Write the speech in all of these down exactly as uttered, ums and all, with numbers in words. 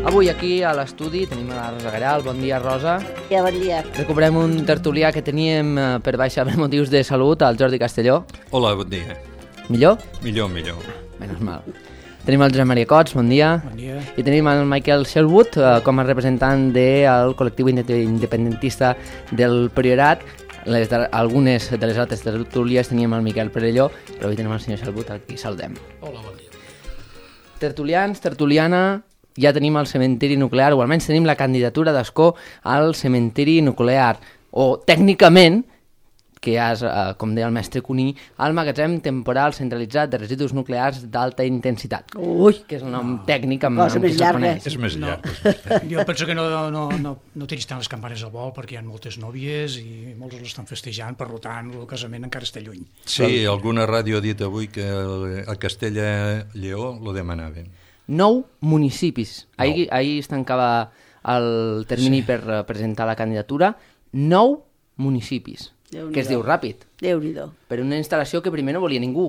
Avui aquí a l'estudi tenim a la Rosa Garal. Bon dia, Rosa. Ja, bon dia. Recuperem un tertulià que teníem eh, per baixa per motius de salut, el Jordi Castelló. Hola, bon dia. Millor? Millor, millor. Menys mal. Tenim el Josep Maria Cots, bon dia. Bon dia. I tenim el Michael Sherwood eh, com a representant del col·lectiu independentista del Priorat. Les de, algunes de les altres tertulies teníem el Miquel Perelló, però avui tenim el senyor Sherwood, aquí saludem. Hola, bon dia. Tertulians, tertuliana, ja tenim el cementiri nuclear, o almenys tenim la candidatura d'Escó al cementiri nuclear, o tècnicament, que ja és, eh, com deia el mestre Cuní, al magatzem temporal centralitzat de residus nuclears d'alta intensitat. Ui, Que és el nom tècnic amb, Cosa amb més què se'l llarga. coneix. És més No. llarg. Jo penso que no, no, no, no tiris tant les campanes al vol perquè hi ha moltes nòvies i molts l'estan festejant, per tant el casament encara està lluny. Sí, alguna ràdio ha dit avui que a Castella-Lleó lo demanaven. Nou municipis. Ahir, ahir es tancava el termini sí. per uh, presentar la candidatura. Nou municipis, Déu-n'hi-do. que es diu ràpid, Déu-n'hi-do. per una instal·lació que primer no volia ningú,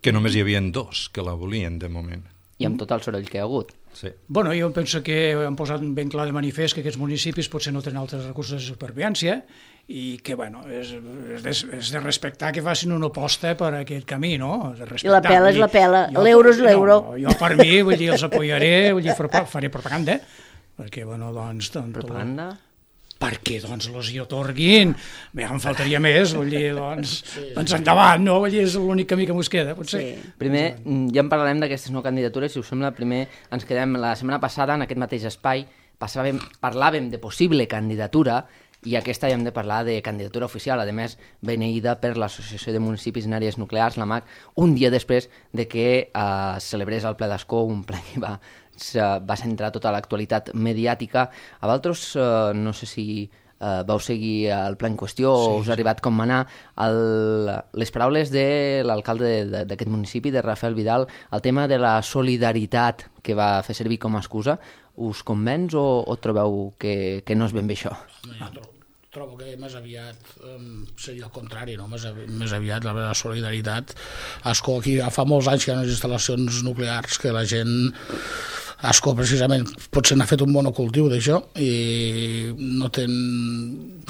Que només hi havia dos que la volien, de moment. i amb tot el soroll que hi ha hagut. Sí. Bueno, jo penso que han posat ben clar de manifest que aquests municipis potser no tenen altres recursos de supervivència i que, bueno, és, és, de, és de respectar que facin una aposta per aquest camí, no? De I la pela és la pela, Jo- l'euro és l'euro. No, jo per mi, vull dir, els apoyaré, vull dir, faré faré propaganda, perquè, bueno, doncs... doncs Propaganda? perquè doncs els hi otorguin, bé, em faltaria més, vull dir, doncs, sí. doncs endavant, no? Vull dir, és l'únic camí que mos queda, potser. Sí. Primer, mm, ja en parlarem d'aquestes no candidatures, si us sembla, primer ens quedem la setmana passada en aquest mateix espai, passàvem, parlàvem de possible candidatura i aquesta ja hem de parlar de candidatura oficial, a més beneïda per l'Associació de Municipis en Àrees Nuclears, la M A C, un dia després de que eh, celebrés el ple d'Escó, un ple que va, se, va centrar tota l'actualitat mediàtica. A vosaltres, eh, no sé si eh, vau seguir el ple en qüestió sí, o us ha arribat com anar el, les paraules de l'alcalde d'aquest municipi, de Rafael Vidal, el tema de la solidaritat que va fer servir com a excusa, us convenç o, o trobeu que, que no és ben bé això? Jo trobo, trobo que més aviat um, seria el contrari, no? més, avi, més aviat la, la solidaritat. Ascó, aquí fa molts anys que hi ha unes instal·lacions nuclears que la gent... Ascó, precisament, potser n'ha fet un monocultiu d'això i no tenen,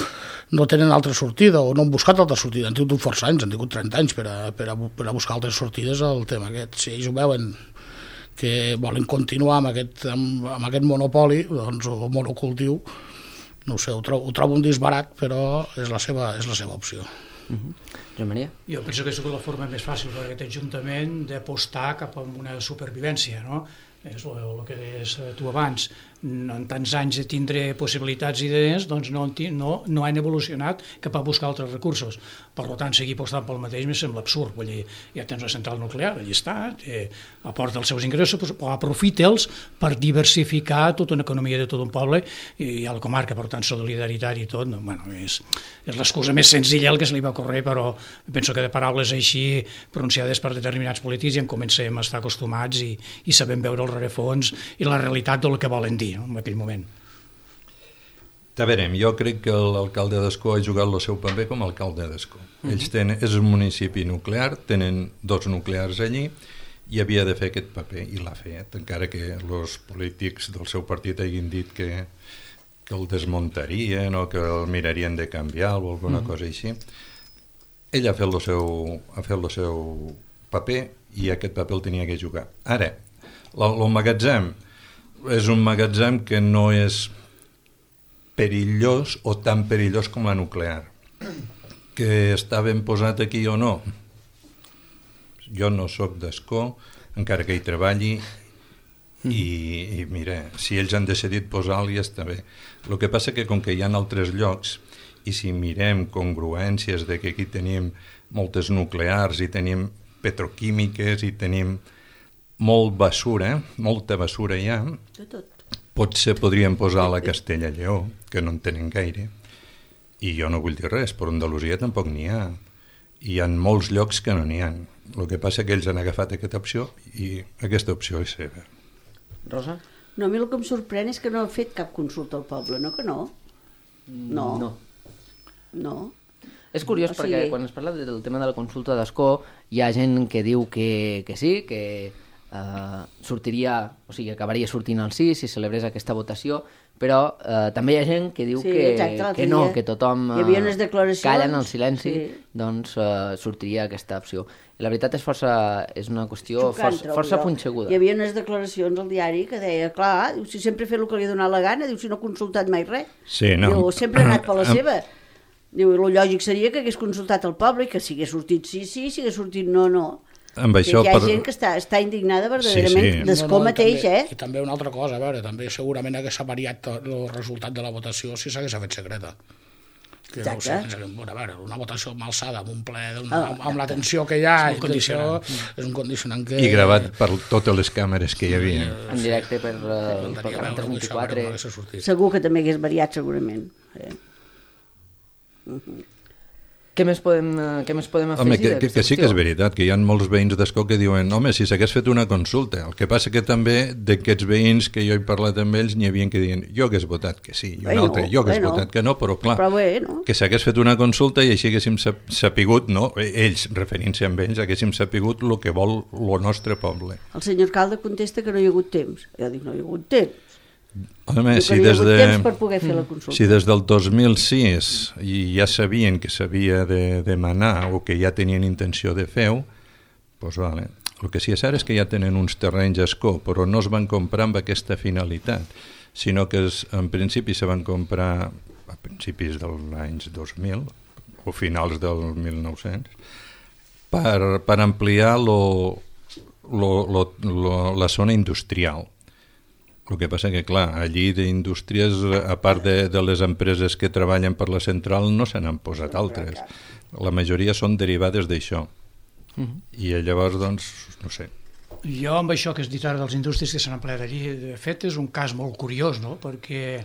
no tenen altra sortida o no han buscat altra sortida. Han tingut força anys, han tingut trenta anys per a, per a, per a buscar altres sortides al tema aquest. Si ells ho veuen que volen continuar amb aquest, amb, amb aquest monopoli, doncs, o monocultiu, no ho sé, ho trobo, ho trobo un disbarat, però és la seva, és la seva opció. Uh-huh. Joan Maria? Jo penso que és la forma més fàcil per aquest Ajuntament d'apostar cap a una supervivència, no? És el, el que deies tu abans, en tants anys de tindre possibilitats i idees, doncs no, no, no han evolucionat cap a buscar altres recursos. Per tant, seguir apostant pel mateix me sembla absurd. Vull dir, ja tens una central nuclear, allà està, eh, aporta els seus ingressos, però aprofita'ls per diversificar tota una economia de tot un poble i a la comarca, per tant, solidaritat i tot. No, bueno, és és l'excusa més senzilla el que se li va ocórrer, però penso que de paraules així pronunciades per determinats polítics ja en comencem a estar acostumats i, i sabem veure el rerefons i la realitat del que volen dir, no, en aquell moment. Ja verem, jo crec que l'alcalde d'Escó ha jugat el seu paper com a alcalde d'Escó. Uh-huh. Ells tenen, és un municipi nuclear, tenen dos nuclears allí i havia de fer aquest paper i l'ha fet, encara que els polítics del seu partit hagin dit que, que el desmuntarien o que el mirarien de canviar o alguna uh-huh. cosa així. Ell ha fet el seu, ha fet el seu paper i aquest paper el tenia que jugar. Ara, el magatzem és un magatzem que no és perillós o tan perillós com la nuclear. Que està ben posat aquí o no? Jo no sóc d'Escó, encara que hi treballi, i, i mira, si ells han decidit posar-li està bé. El que passa que com que hi ha altres llocs, i si mirem congruències de que aquí tenim moltes nuclears i tenim petroquímiques i tenim molt basura, molta basura hi ha, De tot. potser podríem posar la Castella i Lleó, que no en tenen gaire, i jo no vull dir res, però a Andalusia tampoc n'hi ha. Hi ha molts llocs que no n'hi ha. El que passa que ells han agafat aquesta opció i aquesta opció és seva. Rosa? No, a mi el que em sorprèn és que no ha fet cap consulta al poble, no que no? No. No. No. És curiós O sigui- perquè quan es parla del tema de la consulta d'escó hi ha gent que diu que, que sí, que eh, sortiria, o sigui, acabaria sortint el sí si celebrés aquesta votació, però eh, també hi ha gent que diu Sí, que, exacte, l'altre que no, dia que tothom hi havia unes declaracions, calla en el silenci, sí. doncs eh, sortiria aquesta opció. I la veritat és força, és una qüestió Xocant, força, trobo força jo. punxeguda. Hi havia unes declaracions al diari que deia, clar, diu, si sempre he fet el que li ha donat la gana, diu, si no ha consultat mai res. Sí, no. Diu, sempre ha anat per la Em- seva. Diu, el lògic seria que hagués consultat el poble i que si hagués sortit sí, sí, si hagués sortit no, no. Amb Que això hi ha per- gent que està, està indignada verdaderament Sí, sí. d'escó i mateix, també, eh? I també una altra cosa, a veure, també segurament hagués variat el resultat de la votació si s'hagués fet secreta. Que no ho sé, Exacte. bueno, a veure, una votació amb alçada, amb un ple, amb, Ah. amb, amb la tensió que hi ha, És un i tot això, condicionant. és un condicionant que... I gravat per totes les càmeres que hi havia. En directe per, uh, pel Faltaria canal veure tres això, vint-i-quatre. però no hagués sortit. Segur que també hagués variat, segurament. Eh? Què més podem, eh, què més podem afegir? Home, que, que, d'aquesta que sí que és qüestió? veritat, que hi ha molts veïns d'Escó que diuen home, si s'hagués fet una consulta. El que passa que també d'aquests veïns que jo he parlat amb ells n'hi havia que diuen jo hagués votat que sí, i un Bueno, altre jo hagués bueno. votat que no, però clar, Però bé, no? que s'hagués fet una consulta i així haguéssim sap- sapigut, no? Ells, referint-se amb ells, haguéssim sapigut el que vol el nostre poble. El senyor alcalde contesta que no hi ha hagut temps. Jo dic, no hi ha hagut temps. Home, Diu que si no hi ha des, hagut de, temps per poder fer la consulta. si des del dos mil sis i ja sabien que s'havia de demanar o que ja tenien intenció de fer-ho, doncs vale. El que sí és cert és que ja tenen uns terrenys a Escó, però no es van comprar amb aquesta finalitat, sinó que es, en principi se van comprar a principis dels anys dos mil o finals del mil nou-cents per, per ampliar lo, lo, lo, lo, la zona industrial. El que passa que, clar, allí d'indústries, a part de, de les empreses que treballen per la central, no se n'han posat altres. La majoria són derivades d'això. I llavors, doncs, no sé. Jo amb això que has dit ara dels indústries que s'han empleat allí, de fet és un cas molt curiós, no? Perquè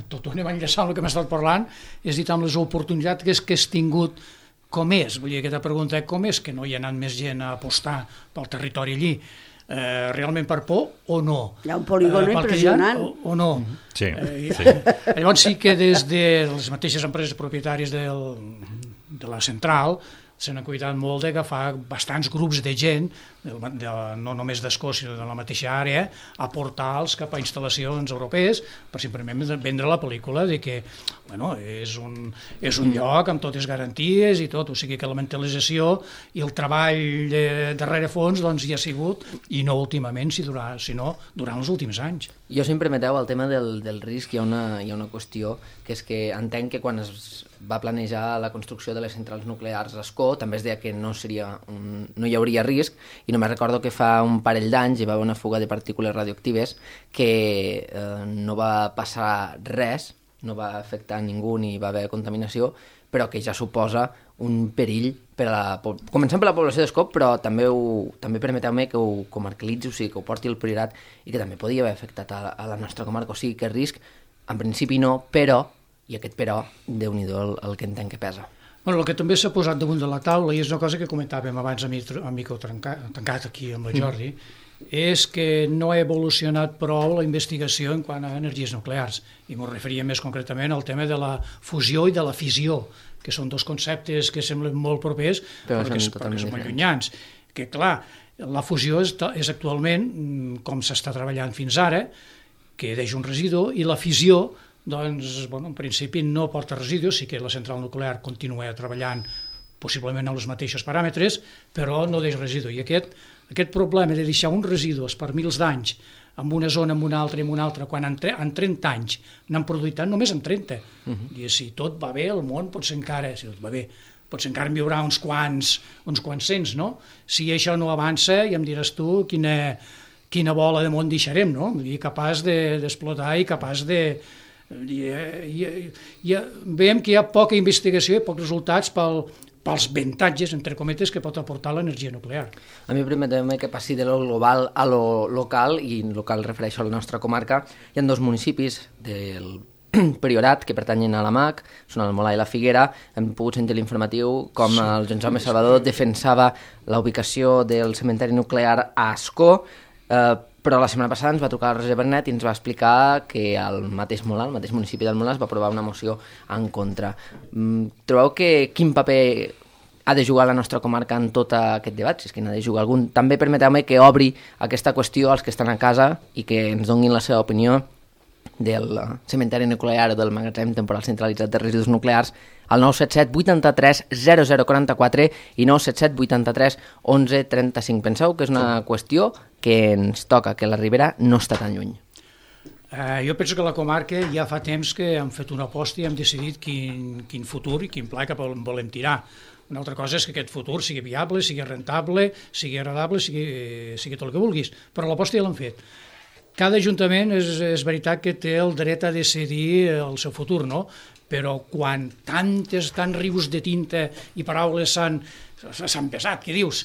tot ho anem enllaçant amb el que m'ha estat parlant, és dit amb les oportunitats que és que has tingut com és, vull dir, aquesta pregunta, com és que no hi ha anat més gent a apostar pel territori allí? Eh, realment per por o no? Hi ha un polígon pel que hi ha, impressionant. O, o no? Sí, Eh, sí. Llavors sí que des de les mateixes empreses propietàries del, de la central se n'ha cuidat molt d'agafar bastants grups de gent, de, de, no només d'Escó, sinó de la mateixa àrea, a portar-los cap a instal·lacions europees per simplement vendre la pel·lícula de que bueno, és, un, és un lloc amb totes garanties i tot, o sigui que la mentalització i el treball de, darrere fons doncs, hi ha sigut, i no últimament, si durà, sinó durant els últims anys. Jo, si em permeteu, el tema del, del risc, hi ha, una, hi ha una qüestió, que és que entenc que quan es va planejar la construcció de les centrals nuclears a Escó, també es deia que no, seria un, no hi hauria risc, i només recordo que fa un parell d'anys hi va haver una fuga de partícules radioactives que eh, no va passar res, no va afectar ningú ni va haver contaminació, però que ja suposa un perill per a la, començant per la població d'Escó, però també, ho, també permeteu-me que ho comarcalitzi, o sigui, que ho porti al Priorat i que també podria haver afectat a, a la nostra comarca, o sigui que risc, en principi no, però, i aquest però, Déu-n'hi-do el, el que entenc que pesa. Bueno, el que també s'ha posat damunt de la taula, i és una cosa que comentàvem abans a, mi, a micro trencat, tancat aquí amb el Jordi, és que no ha evolucionat prou la investigació en quant a energies nuclears, i m'ho referia més concretament al tema de la fusió i de la fissió, que són dos conceptes que semblen molt propers, però, però, que, són però que són molt diferents. llunyans. Que, clar, la fusió és, és actualment, com s'està treballant fins ara, que deixa un residu, i la fissió, doncs, bueno, en principi no porta residus, sí que la central nuclear continua treballant possiblement amb els mateixos paràmetres, però no deixa residu. I aquest, aquest problema de deixar uns residus per mils d'anys en una zona, en una altra, en una altra, quan en, en trenta anys n'han produït tant, només en trenta. Uh -huh. I si tot va bé, el món potser encara, si tot va bé, potser encara en viurà uns quants, uns quants cents, no? Si això no avança, ja em diràs tu quina, quina bola de món deixarem, no? I capaç d'explotar de, i capaç de... I, i, i, veiem que hi ha poca investigació i pocs resultats pel, pels avantatges, entre cometes, que pot aportar l'energia nuclear. A mi permetem que passi de lo global a lo local, i en local refereixo a la nostra comarca. Hi ha dos municipis del Priorat que pertanyen a la M A C, són el Molar i la Figuera. Hem pogut sentir l'informatiu com sí. el Jaume Salvador defensava la ubicació del cementeri nuclear a Ascó, eh, però la setmana passada ens va trucar el Roger Bernet i ens va explicar que el mateix Molar, el mateix municipi del Molar, va aprovar una moció en contra. Trobeu que quin paper ha de jugar la nostra comarca en tot aquest debat, si és que n'ha de jugar algun? També permeteu-me que obri aquesta qüestió als que estan a casa i que ens donin la seva opinió del cementeri nuclear o del magatzem temporal centralitzat de residus nuclears al nou set set vuitanta-tres zero zero quaranta-quatre i nou set set vuitanta-tres onze trenta-cinc. Penseu que és una qüestió que ens toca, que la Ribera no està tan lluny? Eh, jo penso que la comarca ja fa temps que hem fet una aposta i hem decidit quin, quin futur i quin pla cap on volem tirar. Una altra cosa és que aquest futur sigui viable, sigui rentable, sigui agradable, sigui, sigui tot el que vulguis, però l'aposta ja l'hem fet. Cada ajuntament és, és veritat que té el dret a decidir el seu futur, no? Però quan tantes, tants rius de tinta i paraules s'han pesat, què dius?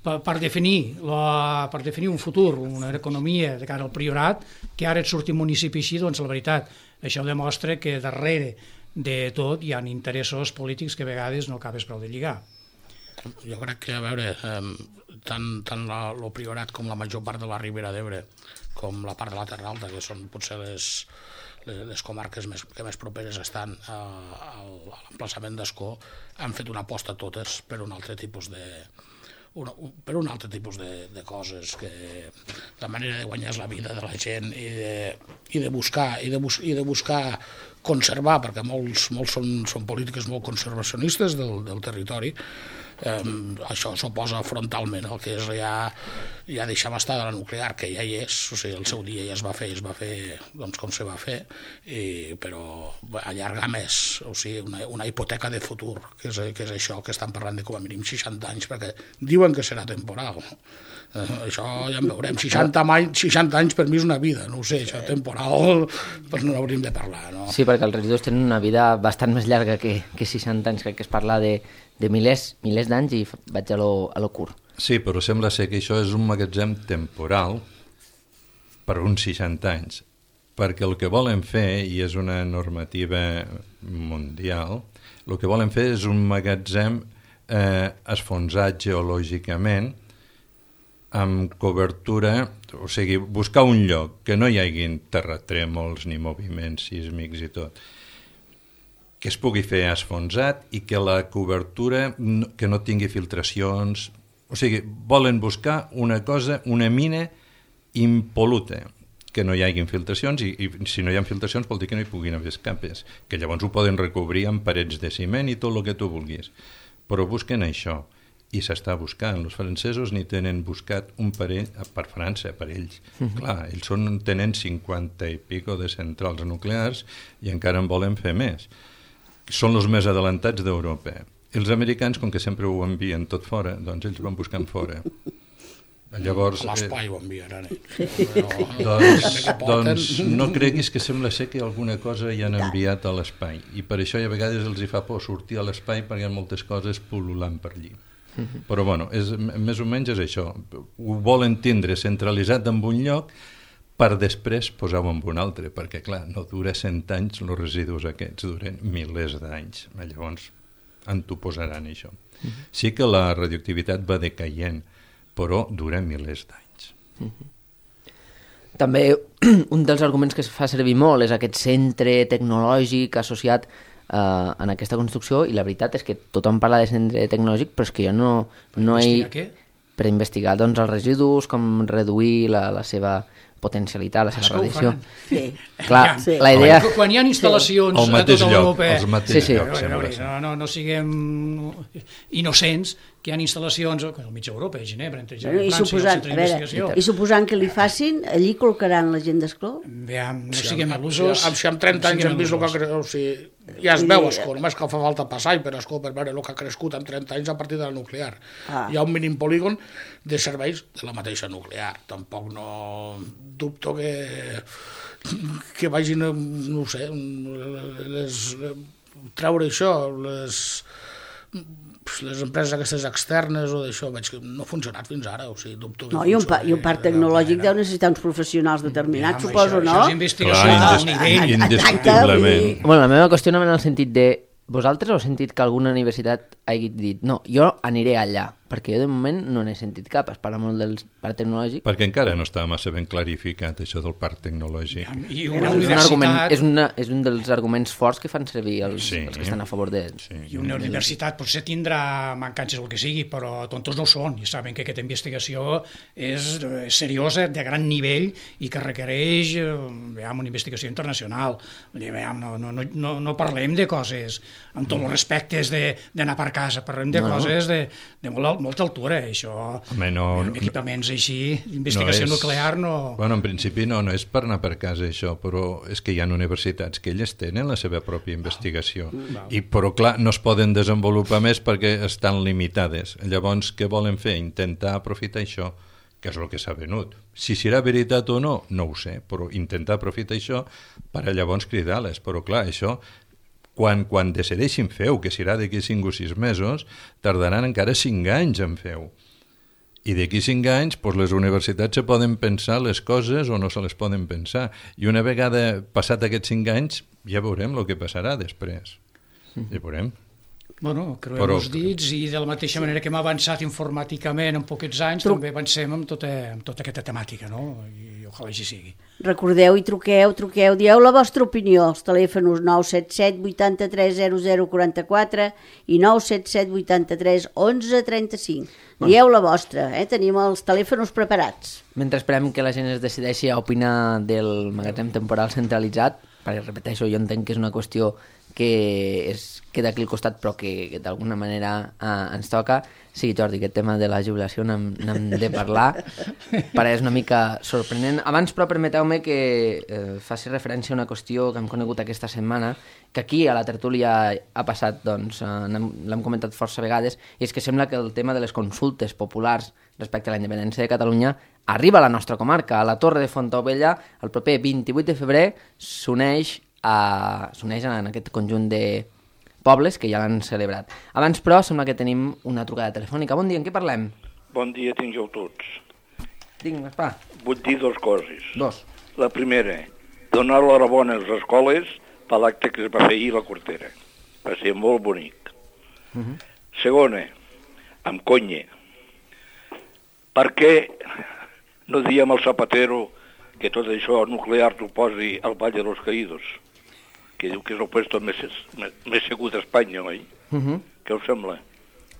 Per, per, definir la, per definir un futur, una economia de cara al Priorat, que ara et surti un municipi així, doncs la veritat, això demostra que darrere de tot hi ha interessos polítics que a vegades no acabes prou de lligar. Jo crec que, a veure, eh, tant, tant la, el Priorat com la major part de la Ribera d'Ebre, com la part de la Terra Alta, que són potser les, les, les comarques més, que més properes estan a, a, a l'emplaçament d'Ascó, han fet una aposta totes per un altre tipus de, una, per un altre tipus de, de coses, que la manera de guanyar la vida de la gent i de, i de buscar i de, bus, i de buscar conservar, perquè molts, molts són, són polítiques molt conservacionistes del, del territori. Eh, això s'oposa frontalment al que és ja, ja deixar estar de la nuclear, que ja hi és, o sigui, el seu dia ja es va fer, es va fer doncs, com se va fer, i, però allargar més, o sigui, una, una hipoteca de futur, que és, que és això que estan parlant de com a mínim seixanta anys, perquè diuen que serà temporal. Eh, això ja en veurem, seixanta, seixanta anys per mi és una vida, no ho sé, això temporal, doncs no n'hauríem de parlar, no? Sí, perquè els residus tenen una vida bastant més llarga que, que seixanta anys, crec que es parla de de milers, milers d'anys i vaig a lo, a lo curt. Sí, però sembla ser que això és un magatzem temporal per uns seixanta anys, perquè el que volen fer, i és una normativa mundial, el que volen fer és un magatzem eh, esfonsat geològicament amb cobertura, o sigui, buscar un lloc que no hi haguin terratrèmols ni moviments sísmics i tot, que es pugui fer esfonsat i que la cobertura no, que no tingui filtracions, o sigui, volen buscar una cosa, una mina impol·luta, que no hi hagi filtracions, i, i si no hi ha filtracions vol dir que no hi puguin haver escapes, que llavors ho poden recobrir amb parets de ciment i tot el que tu vulguis, però busquen això, i s'està buscant. Els francesos ni tenen buscat un parell, per França, per ells. Uh-huh. Clar, ells són, tenen cinquanta i pico de centrals nuclears i encara en volen fer més. Són els més adelantats d'Europa. Els americans, com que sempre ho envien tot fora, doncs ells van buscant fora. Llavors, a l'espai ho enviaran. Eh? doncs, doncs no creguis que sembla ser que alguna cosa hi han enviat a l'espai. I per això a vegades els hi fa por sortir a l'espai perquè hi ha moltes coses pul·lulant per allí. Però bueno, és, més o menys és això. Ho volen tindre centralitzat en un lloc per després posar-ho en un altre, perquè, clar, no dura cent anys, els residus aquests duren milers d'anys. Llavors, en t'ho posaran, això. Uh-huh. Sí que la radioactivitat va decaient, però dura milers d'anys. Uh-huh. També, un dels arguments que es fa servir molt és aquest centre tecnològic associat eh, en aquesta construcció, i la veritat és que tothom parla de centre tecnològic, però és que jo no... no he... Què? Per investigar doncs, els residus, com reduir la, la seva potencialitat, la seva radiació. Sí. Clar, sí. la idea... Quan, quan hi ha instal·lacions sí. a tota Europa... Els mateixos sí, sí. llocs, no, no, no, no siguem innocents, que hi ha instal·lacions al mig d'Europa, a Ginebra, entre Ginebra i França, i el centre d'investigació. I suposant que li facin, allí col·locaran la gent d'Escó? Veam, no si siguem amb, il·lusos. Si amb trenta anys hem vist el que ha crescut, o sigui, ja es veu Escó, només que fa falta passar per Escó per veure el que ha crescut en trenta anys a partir de la nuclear. Ah. Hi ha un mínim polígon de serveis de la mateixa nuclear. Tampoc no dubto que, que vagin, no ho sé, les, treure això, les... les empreses aquestes externes o d'això, veig que no ha funcionat fins ara, o sigui, dubto que No, i un, pa, i un parc tecnològic deu necessitar uns professionals determinats, suposo, això, no? Això és investigació Clar, d'alt nivell. indiscutiblement. Bueno, la meva qüestió no va en el sentit de... Vosaltres heu sentit que alguna universitat hagi dit no, jo aniré allà, perquè jo de moment no n'he sentit cap, es parla molt del parc tecnològic. Perquè encara no està massa ben clarificat això del parc tecnològic. I És una un, argument, universitat... és, una, és un dels arguments forts que fan servir els, Sí. els que estan a favor de... Sí. I una universitat potser tindrà mancances o el que sigui, però tontos no ho són, i saben que aquesta investigació és eh, seriosa, de gran nivell, i que requereix eh, veiem, una investigació internacional. Vull dir, veiem, no, no, no, no parlem de coses amb tots els respectes d'anar per casa, parlem de No, no. coses de, de molt, molta altura, això. Home, no, amb equipaments així, investigació no és- nuclear no... Bueno, en principi no, no és per anar per casa això, però és que hi ha universitats que elles tenen la seva pròpia investigació. I, però clar, no es poden desenvolupar més perquè estan limitades. Llavors, què volen fer? Intentar aprofitar això, que és el que s'ha venut. Si serà veritat o no, no ho sé, però intentar aprofitar això per a llavors cridar-les. Però clar, això... Quan, quan decideixin fer-ho, que serà d'aquí cinc o sis mesos, tardaran encara cinc anys en fer-ho. I d'aquí cinc anys doncs les universitats se poden pensar les coses o no se les poden pensar. I una vegada passat aquests cinc anys ja veurem el que passarà després. Ja veurem. Bueno, creuem Però- els dits i de la mateixa manera que hem avançat informàticament en poquets anys, Tru- també avancem amb tota, amb tota aquesta temàtica, no? I ojalà així sigui. Recordeu i truqueu, truqueu, dieu la vostra opinió. Els telèfons nou set set vuitanta-tres zero zero quaranta-quatre i nou set set vuitanta-tres onze trenta-cinc. Dieu la vostra, eh? Tenim els telèfons preparats. Mentre esperem que la gent es decideixi a opinar del magatzem temporal centralitzat, perquè repeteixo, jo entenc que és una qüestió que es queda aquí al costat però que, que d'alguna manera eh, ens toca. Sí, Jordi, aquest tema de la jubilació n'hem n'hem de parlar, perquè és una mica sorprenent. Abans, però, permeteu-me que eh, faci referència a una qüestió que hem conegut aquesta setmana, que aquí a la tertúlia ha passat, doncs, eh, n'hem- l'hem comentat força vegades, i és que sembla que el tema de les consultes populars respecte a la independència de Catalunya arriba a la nostra comarca, a la Torre de Fontaubella, el proper vint-i-vuit de febrer s'uneix a, s'uneix en aquest conjunt de pobles que ja l'han celebrat. Abans, però, sembla que tenim una trucada telefònica. Bon dia, en què parlem? Bon dia tingueu tots. Vinga, Gaspar. Vull dir dues coses. Dos. La primera, donar l'enhorabona a les escoles per l'acte que es va fer ahir a la Cortera. Va ser molt bonic. Uh -huh. Segona, amb conya. Per què no diem al Zapatero que tot això nuclear t'ho posi al Valle de los Caídos? Que diu que és el puesto més, més, més segur d'Espanya, oi? Uh -huh. Què us sembla?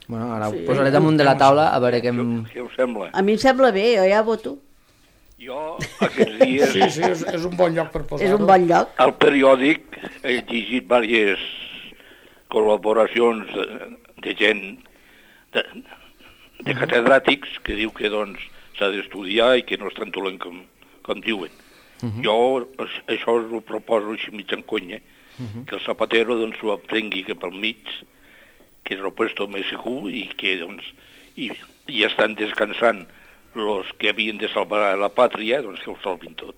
Bueno, ara ho posaré damunt de la taula a veure què em... Què us sembla? A mi em sembla bé, jo ja voto. Jo, aquests dies... Sí, sí, és, és un bon lloc per posar-ho. És un bon lloc. Al periòdic he llegit diverses col·laboracions de, de gent, de, de catedràtics, que diu que doncs s'ha d'estudiar i que no és tan dolent com, com diuen. Uh -huh. Jo a- això us ho proposo així mig en conya, uh -huh. que el Zapatero doncs ho aprengui cap al mig, que és el puesto més segur i que doncs i, i estan descansant los que havien de salvar la pàtria, doncs que ho salvin tot.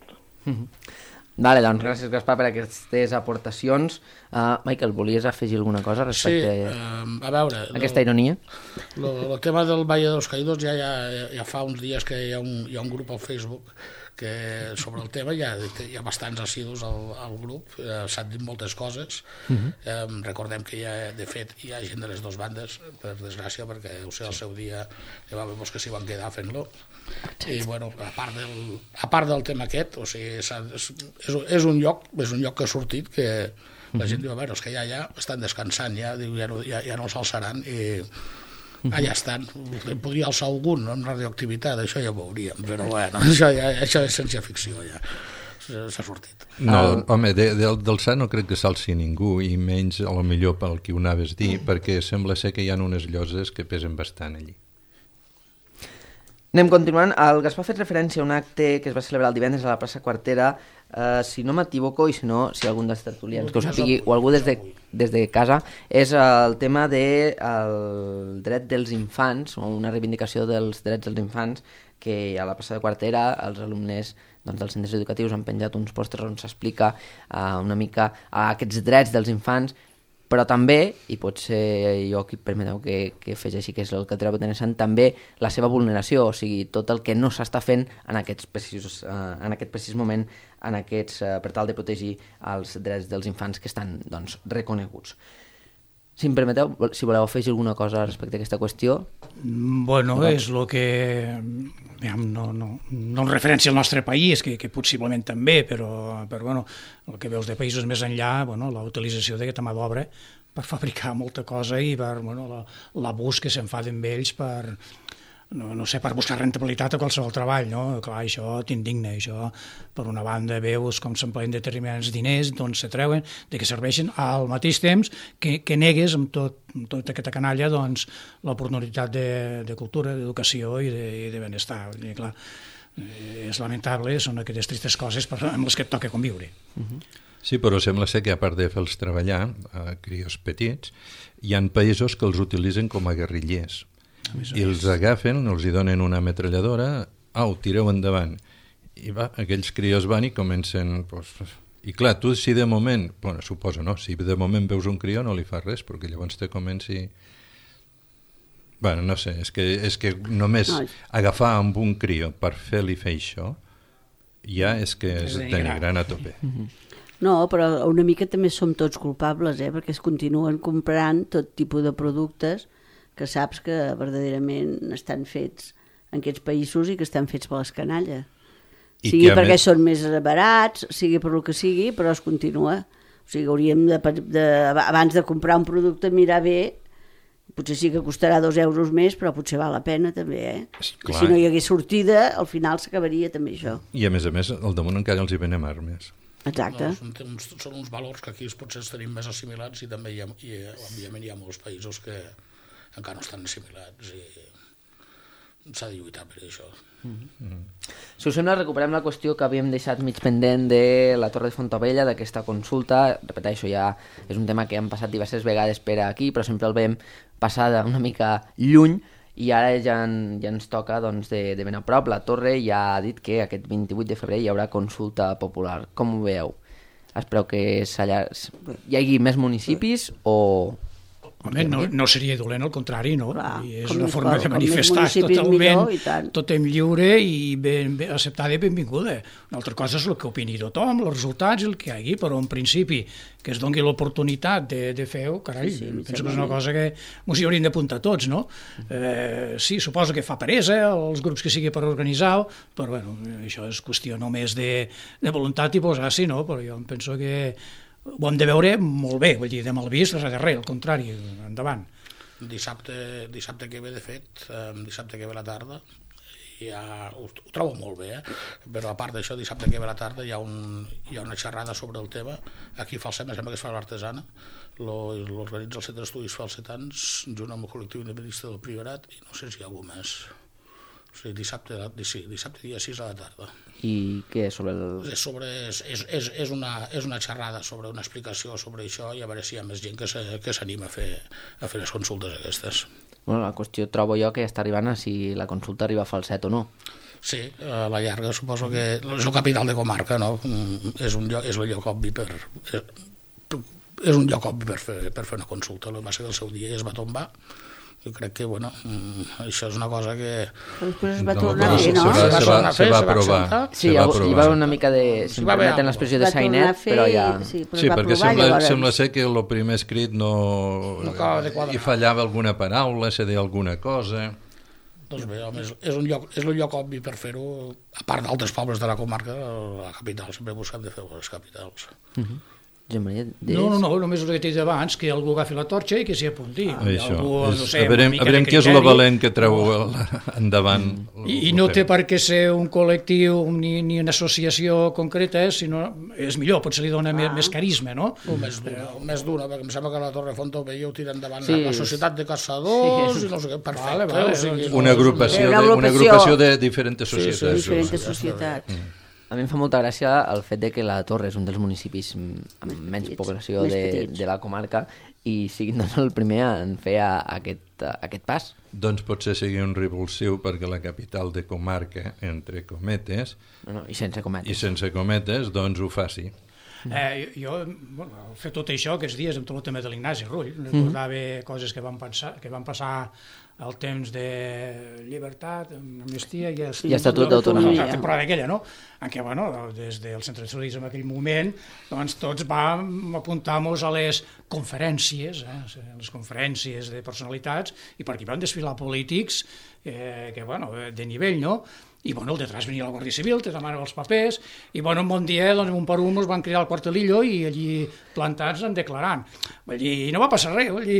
Vale, doncs gràcies, Gaspar, per aquestes aportacions. Uh, Michael, volies afegir alguna cosa Sí, respecte eh, a a veure... aquesta ironia? El, el tema del Valle de los Caídos ja, ja, ja fa uns dies que hi ha un, hi ha un grup al Facebook que sobre el tema hi ha, hi ha bastants assidus al, al grup, eh, s'han dit moltes coses. Uh -huh. eh, recordem que hi ha, de fet hi ha gent de les dues bandes, per desgràcia, perquè ho sé, al seu dia hi va haver molts que s'hi van quedar fent-lo. I bueno, a part del, a part del tema aquest, o sigui, és, és, és un lloc és un lloc que ha sortit que la gent diu, a veure, els que ja, ja estan descansant ja, diu, ja, no, ja, ja no s'alçaran i allà estan. En podria alçar algun amb radioactivitat, això ja ho veuríem, però bueno, això, ja, això és ciència-ficció ja, s'ha sortit. No, ah. home, de, de, d'alçar no crec que s'alci ningú, i menys a lo millor pel que ho anaves a dir, perquè sembla ser que hi ha unes lloses que pesen bastant allí. Anem continuant. El Gaspar ha fet referència a un acte que es va celebrar el divendres a la plaça Quartera. Uh, si no m'equivoco, i si no, si algun dels tertulians que ho sapigui, o algú des de, des de casa, és el tema del de, dret dels infants, o una reivindicació dels drets dels infants, que a la plaça de Quartera els alumnes doncs, dels centres educatius han penjat uns pòsters on s'explica uh, una mica uh, aquests drets dels infants, però també, i potser jo aquí permeteu que, que fes així, que és el que trobo interessant, també la seva vulneració, o sigui, tot el que no s'està fent en, aquests precisos, eh, en aquest precís moment en aquests, eh, per tal de protegir els drets dels infants que estan doncs, reconeguts. Si em permeteu, si voleu afegir alguna cosa respecte a aquesta qüestió. Bueno, no? És el que... No, no, no en referència al nostre país, que, que possiblement també, però, però bueno, el que veus de països més enllà, bueno, la utilització d'aquesta mà d'obra per fabricar molta cosa i per bueno, l'abús que se'n fa d'ells per, no, no sé, per buscar rentabilitat a qualsevol treball, no? Clar, això t'indigna, això per una banda veus com s'empleen determinats diners, d'on se treuen, de què serveixen, al mateix temps que, que negues amb, tot, amb tota aquesta canalla doncs, l'oportunitat de, de cultura, d'educació i de, i de benestar. I, clar, és lamentable, són aquestes tristes coses amb les que et toca conviure. Uh-huh. Sí, però sembla ser que a part de fer-los treballar, a crios petits, hi ha països que els utilitzen com a guerrillers. I els agafen, els hi donen una ametralladora, au, tireu endavant. I va, aquells crios van i comencen... Pues, i clar, tu si de moment... Bueno, suposo, no? Si de moment veus un crió no li fa res, perquè llavors te comenci... Bueno, no sé, és que, és que només agafar amb un crió per fer-li fer això, ja és que és denigrant a tope. No, però una mica també som tots culpables, eh? Perquè es continuen comprant tot tipus de productes que saps que verdaderament estan fets en aquests països i que estan fets per les canalles. I sigui perquè més... són més barats, sigui per el que sigui, però es continua. O sigui, hauríem de, de, abans de comprar un producte, mirar bé, potser sí que costarà dos euros més, però potser val la pena també, eh? Clar. Si no hi hagués sortida, al final s'acabaria també això. I a més a més, al damunt encara els hi venem armes. Exacte. No, són, uns, són uns valors que aquí potser tenim més assimilats i també hi ha, i, òbviament hi ha molts països que encara no estan assimilats i s'ha de lluitar per això. Mm-hmm. Si us sembla, recuperem la qüestió que havíem deixat mig pendent de la Torre de Fontaubella, d'aquesta consulta. Repeteixo, ja és un tema que hem passat diverses vegades per aquí, però sempre el vam passar una mica lluny i ara ja, en, ja ens toca doncs, de, de ben a prop. La Torre ja ha dit que aquest vint-i-vuit de febrer hi haurà consulta popular. Com ho veieu? Espereu que allà hi hagi més municipis o... Home, no, no seria dolent, al contrari, no? Clar, I és una forma de manifestar totalment, totalment lliure i ben, ben acceptada i benvinguda. Una altra cosa és el que opini tothom, els resultats i el que hi hagi, però en principi que es doni l'oportunitat de, de fer-ho, carai, sí, sí, penso que és una cosa que ens hi hauríem d'apuntar tots, no? Eh, sí, suposo que fa peresa els grups que sigui per organitzar-ho, però bueno, això és qüestió només de, de voluntat i posar-s'hi, no? Però jo em penso que ho hem de veure molt bé, vull dir, de mal vist, res de res, al contrari, endavant. Dissabte, dissabte que ve, de fet, dissabte que ve la tarda, ja, ho, ho trobo molt bé, eh? Però a part d'això, dissabte que ve la tarda hi ha, un, hi ha una xerrada sobre el tema, aquí a Falset, em sembla que es fa l'Artesana, l'organitza el Centre d'Estudis Falsetans, junt amb el col·lectiu independentista del Priorat, i no sé si hi ha algú més. O sigui, dissabte, sí, dissabte dia sis a la tarda. I què és sobre el... És, sobre, és, és, és, una, és una xerrada sobre una explicació sobre això i a veure si hi ha més gent que s'anima a, fer, a fer les consultes aquestes. Bueno, la qüestió trobo jo que està arribant a si la consulta arriba a Falset o no. Sí, a la llarga suposo que és el capital de comarca, no? És un lloc, és un lloc obvi per... És un lloc obvi per fer, per fer una consulta. El que passa que el seu dia es va tombar. Jo crec que, bueno, això és una cosa que... Però després es va tornar a fer, no? Se va, se va, se va aprovar. Sí, hi va haver una mica de... Si em permeten l'expressió de sainet, però ja... Sí, perquè sembla, sembla ser que el primer escrit no... hi fallava alguna paraula, se deia alguna cosa... Doncs bé, home, és un lloc, és un lloc obvi per fer-ho, a part d'altres pobles de la comarca, la capital, sempre buscant de fer les capitals. Uh-huh. No, no, no, només el que t'he dit abans, que algú agafi la torxa i que s'hi apunti. Ah, algú, no sé, a veure, a veure què és el valent que treu endavant. I, i no té per què ser un col·lectiu ni, ni una associació concreta, sinó és millor, potser li dona ah. més, més carisma, no? O més d'una, o més d'una, perquè em sembla que la Torre Fontaubella ho tira endavant sí. La Societat de Caçadors, sí. I no sé què, perfecte. Vale, vale, o sigui, una, agrupació de, una agrupació de diferents societats. Sí, sí, diferents societats. Mm. A mi em fa molta gràcia el fet de que la Torre és un dels municipis amb menys població de, de la comarca i siguin doncs, el primer en fer a, a aquest, a aquest pas. Doncs potser sigui un revulsiu perquè la capital de comarca, entre cometes, no, no, i sense cometes, i sense cometes doncs ho faci. Eh, jo, bueno, al fer tot això, aquests dies, amb tot el tema de l'Ignasi Rull, recordava coses que van, pensar, que van passar al temps de llibertat, amnistia i, el, I estatut d'autonomia. La temporada aquella, no? En què, bueno, des del centre de socialisme en aquell moment, doncs tots vam apuntar-nos a les conferències, eh, les conferències de personalitats, i per aquí van desfilar polítics eh, que, bueno, de nivell, no? I, bueno, el detrás venia la Guàrdia Civil, te demanava els papers, i, bueno, un bon dia, doncs, un per un, ens van cridar al quartelillo i allí plantats en declarant. Vull dir, no va passar res, vull dir,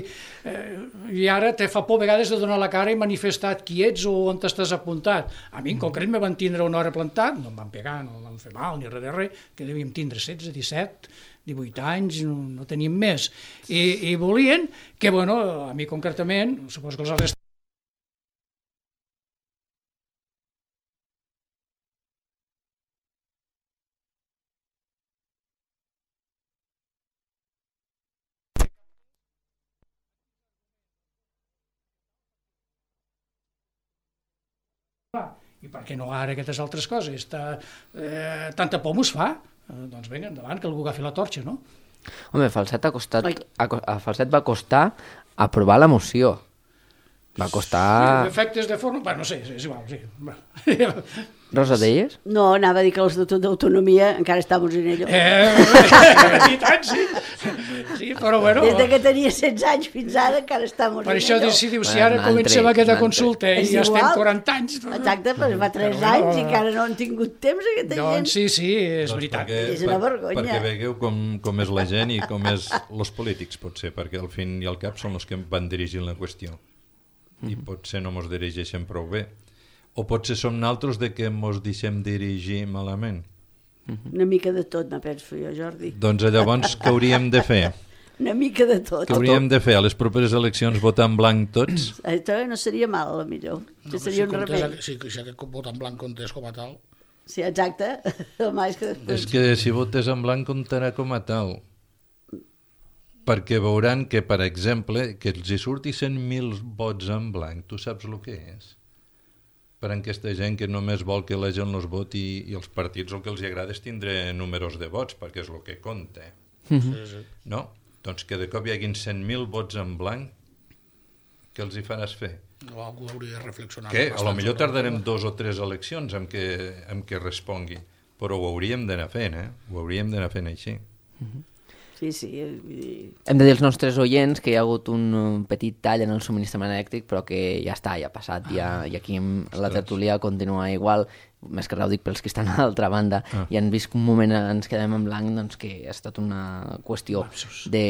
eh, i ara te fa por a vegades de donar la cara i manifestar qui ets o on t'estàs apuntat. A mi, en concret, me van tindre una hora plantat, no em van pegar, no em van fer mal, ni res de res, que devíem tindre setze, disset, divuit anys, no, no teníem més. I, i volien que, bueno, a mi concretament, suposo que els altres i per què no ara aquestes altres coses? Ta, eh, tanta por mos fa? Eh, doncs vinga, endavant, que algú agafi la torxa, no? Home, Falset, ha costat, a, a Falset va costar aprovar la moció. Va costar... Sí, efectes de forma... Bueno, no sé, és igual, sí. Rosa, deies? No, anava a dir que l'Estatut d'Autonomia encara estàvem en ello. Eh, i tant, sí. Sí, però bueno... Des de que tenia setze anys fins ara encara estàvem en per això ello. decidiu, si ara comencem aquesta consulta i ja estem quaranta anys... Exacte, però fa tres anys i encara no han tingut temps aquesta gent. Doncs sí, sí, és doncs veritat. Perquè, És una vergonya. Perquè vegueu com, com és la gent i com és els polítics, potser, perquè al fin i al cap són els que van dirigint la qüestió. I potser no mos dirigeixen prou bé. O potser som naltros de que mos deixem dirigir malament. Una mica de tot, me penso jo, Jordi. Doncs llavors, què hauríem de fer? Una mica de tot. Què hauríem de fer? A les properes eleccions votar en blanc tots? Això no seria mal, a la millor. No, seria si un comptes, remei. si, si aquest vot en blanc comptés com a tal... Sí, exacte. Home, és que... És que si votes en blanc comptarà com a tal. Perquè veuran que, per exemple, que els hi surti cent mil vots en blanc, tu saps el que és? Per a aquesta gent que només vol que la gent els voti i els partits el que els agrada és tindre números de vots, perquè és el que compta. Sí, sí. No? Doncs que de cop hi haguin cent mil vots en blanc, què els hi faràs fer? No, algú hauria de reflexionar. Què? A lo millor tardarem dos o tres eleccions en què, en què respongui, però ho hauríem d'anar fent, eh? Ho hauríem d'anar fent així. Sí, sí. Vull dir... Hem de dir als nostres oients que hi ha hagut un, un petit tall en el subministrament elèctric, però que ja està, ja ha passat, ja, i aquí la tertúlia continua igual, més que res ho dic pels que estan a l'altra banda, ah. i han vist que un moment ens quedem en blanc, doncs que ha estat una qüestió de,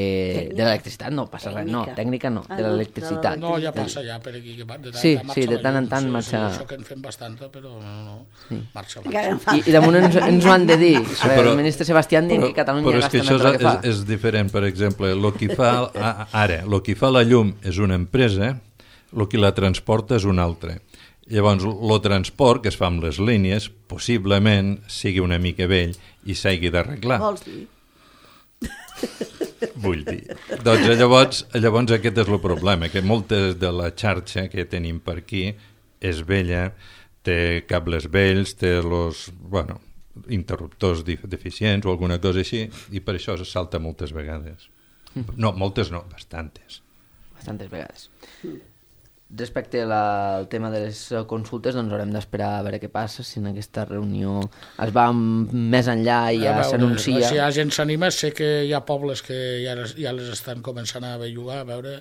de l'electricitat, no passa res, no, tècnica no, Ah, de no, l'electricitat. No, ja passa ja per aquí, que de tant Sí, marxa sí, de la tant en llum, tant sí, marxa- Sí, això que en fem bastanta, però no, no, Sí. marxa, Encara marxa. en fa. I, i damunt ens, ens ho han de dir, sí, però- el ministre Sebastián dient que Catalunya però és gasta que això més del és, que fa. és, és diferent, per exemple, lo que fa, a, ara, el que fa la llum és una empresa, el que la transporta és un altre. Llavors, el transport que es fa amb les línies possiblement sigui una mica vell i s'hagi d'arreglar. Vols dir? Vull dir. Doncs llavors, llavors aquest és el problema, que moltes de la xarxa que tenim per aquí és vella, té cables vells, té los, bueno, interruptors deficients o alguna cosa així, i per això se salta moltes vegades. No, moltes no, bastantes. Bastantes vegades. Respecte la, al tema de les consultes, doncs haurem d'esperar a veure què passa, si en aquesta reunió es va més enllà i ja s'anuncia. Si hi ha gent s'anima, sé que hi ha pobles que ja, ja les estan començant a bellugar, a veure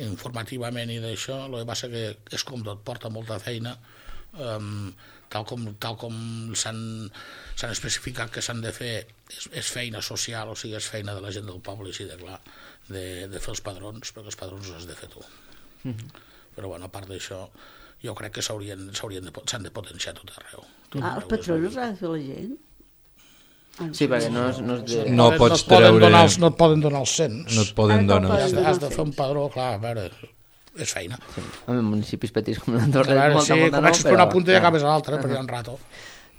informativament i d'això. El que passa que és com tot, porta molta feina, um, tal com, tal com s'han s'han especificat que s'han de fer, és, és feina social, o sigui, és feina de la gent del poble, així de clar, de, de fer els padrons, perquè els padrons els has de fer tu. Mm-hmm. Però bueno, a part d'això, jo crec que s'haurien s'haurien de, s'han de potenciar tot arreu. Tot Ah, els arreu, patrons ha de fer la gent? Ah, Sí, perquè no és, no és de... No poden- pots et poden treure- donar els, no et poden donar els cents. No et poden Ah, no donar... poden. Has de, has de fer un padró, clar, a veure, és feina. En municipis petits com A l'Andorra, veure, molta, sí, molta no, comences per una punta i clar. acabes a l'altra, perquè hi ha un rato.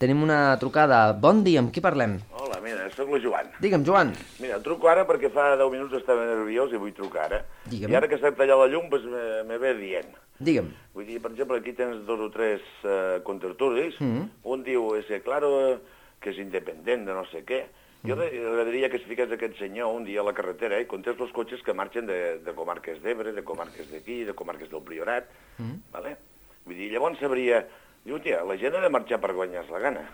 Tenim una trucada. Bon dia, amb qui parlem? Hola, mira, sóc la Joan. Digue'm, Joan. Mira, truco ara perquè fa deu minuts estava nerviós i vull trucar ara. Digue'm. I ara que s'ha tallat la llum, doncs me, me ve dient. Digue'm. Vull dir, per exemple, aquí tens dos o tres uh, contertulis. Mm. Un diu, ese claro, que és independent de no sé què. Jo agradaria que es fiqués aquest senyor un dia a la carretera i comptés els cotxes que marxen de, de comarques d'Ebre, de comarques d'aquí, de comarques del Priorat, mm. vale? Vull dir, llavors sabria... Diu, tia, la gent ha de marxar per guanyar la gana,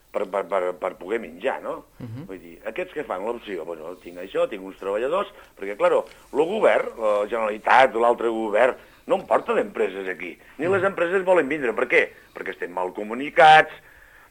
per, per, per, per poder menjar, no? Uh -huh. Vull dir, aquests que fan l'opció, bueno, tinc això, tinc uns treballadors, perquè, clar, el govern, la Generalitat, l'altre govern, no em porta d'empreses aquí, ni les empreses volen vindre. Per què? Perquè estem mal comunicats,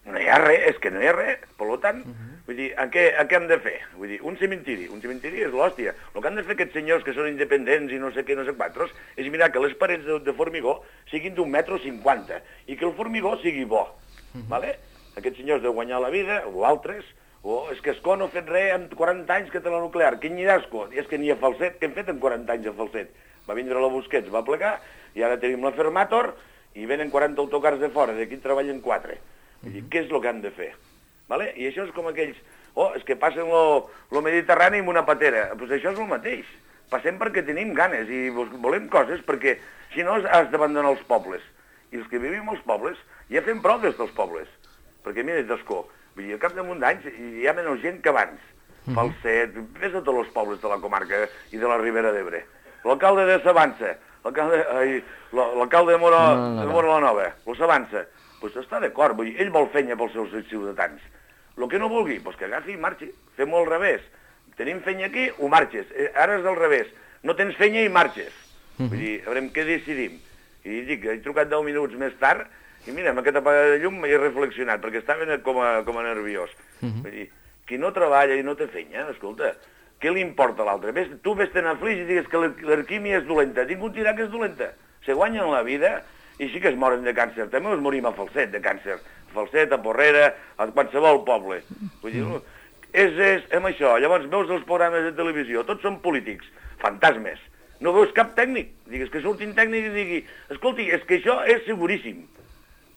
no hi ha res, és que no hi ha res. Per tant, uh -huh. vull dir, a què, a què hem de fer? Vull dir, un cementiri, un cementiri és l'hòstia. El que han de fer aquests senyors que són independents i no sé què, no sé quantos, és mirar que les parets de, de formigó siguin d'un metro cinquanta i que el formigó sigui bo, uh -huh. vale? Aquests senyors de guanyar la vida, o altres, o és que Escó no ha fet res en quaranta anys que té la nuclear. Quin n'hi ha Escó? És que n'hi ha Falset, què hem fet en quaranta anys a Falset? Va vindre la Busquets, va plegar, i ara tenim la Fermator, i venen quaranta autocars de fora, d'aquí treballen quatre. Vull dir, què és el que han de fer? Vale? I això és com aquells... Oh, és que passen lo, lo Mediterrani amb una patera. Doncs pues això és el mateix. Passem perquè tenim ganes i volem coses, perquè si no has d'abandonar els pobles. I els que vivim als pobles ja fem prou des dels pobles. Perquè mira, d'Escó, vull dir, al cap damunt d'anys hi ha menys gent que abans. Mm -hmm. Falset, ves a tots els pobles de la comarca i de la Ribera d'Ebre. L'alcalde de Savança, l'alcalde de Mora, no, no, no. de Mora la Nova, el Savança, doncs està d'acord, vull dir, ell vol fenya pels seus ciutadans. El que no vulgui, doncs que agafi i marxi, fem-ho al revés. Tenim fenya aquí, ho marxes. Ara és al revés, no tens fenya i marxes. Mm -hmm. Vull dir, a veure què decidim. I dic, he trucat deu minuts més tard, i mira, amb aquesta apagada de llum m'he reflexionat, perquè estava com a, com a nerviós. Uh -huh. Vull dir, qui no treballa i no té fenya, escolta, què li importa a l'altre? Tu vés-te'n a flix i digues que l'alquímia és dolenta. Ningú et dirà que és dolenta. Se guanyen la vida i sí que es moren de càncer. També es morim a Falset de càncer. A Falset, a Porrera, a qualsevol poble. Vull dir, és, és, és això. Llavors veus els programes de televisió, tots són polítics, fantasmes. No veus cap tècnic. Digues que surtin tècnics i digui, escolti, és que això és seguríssim.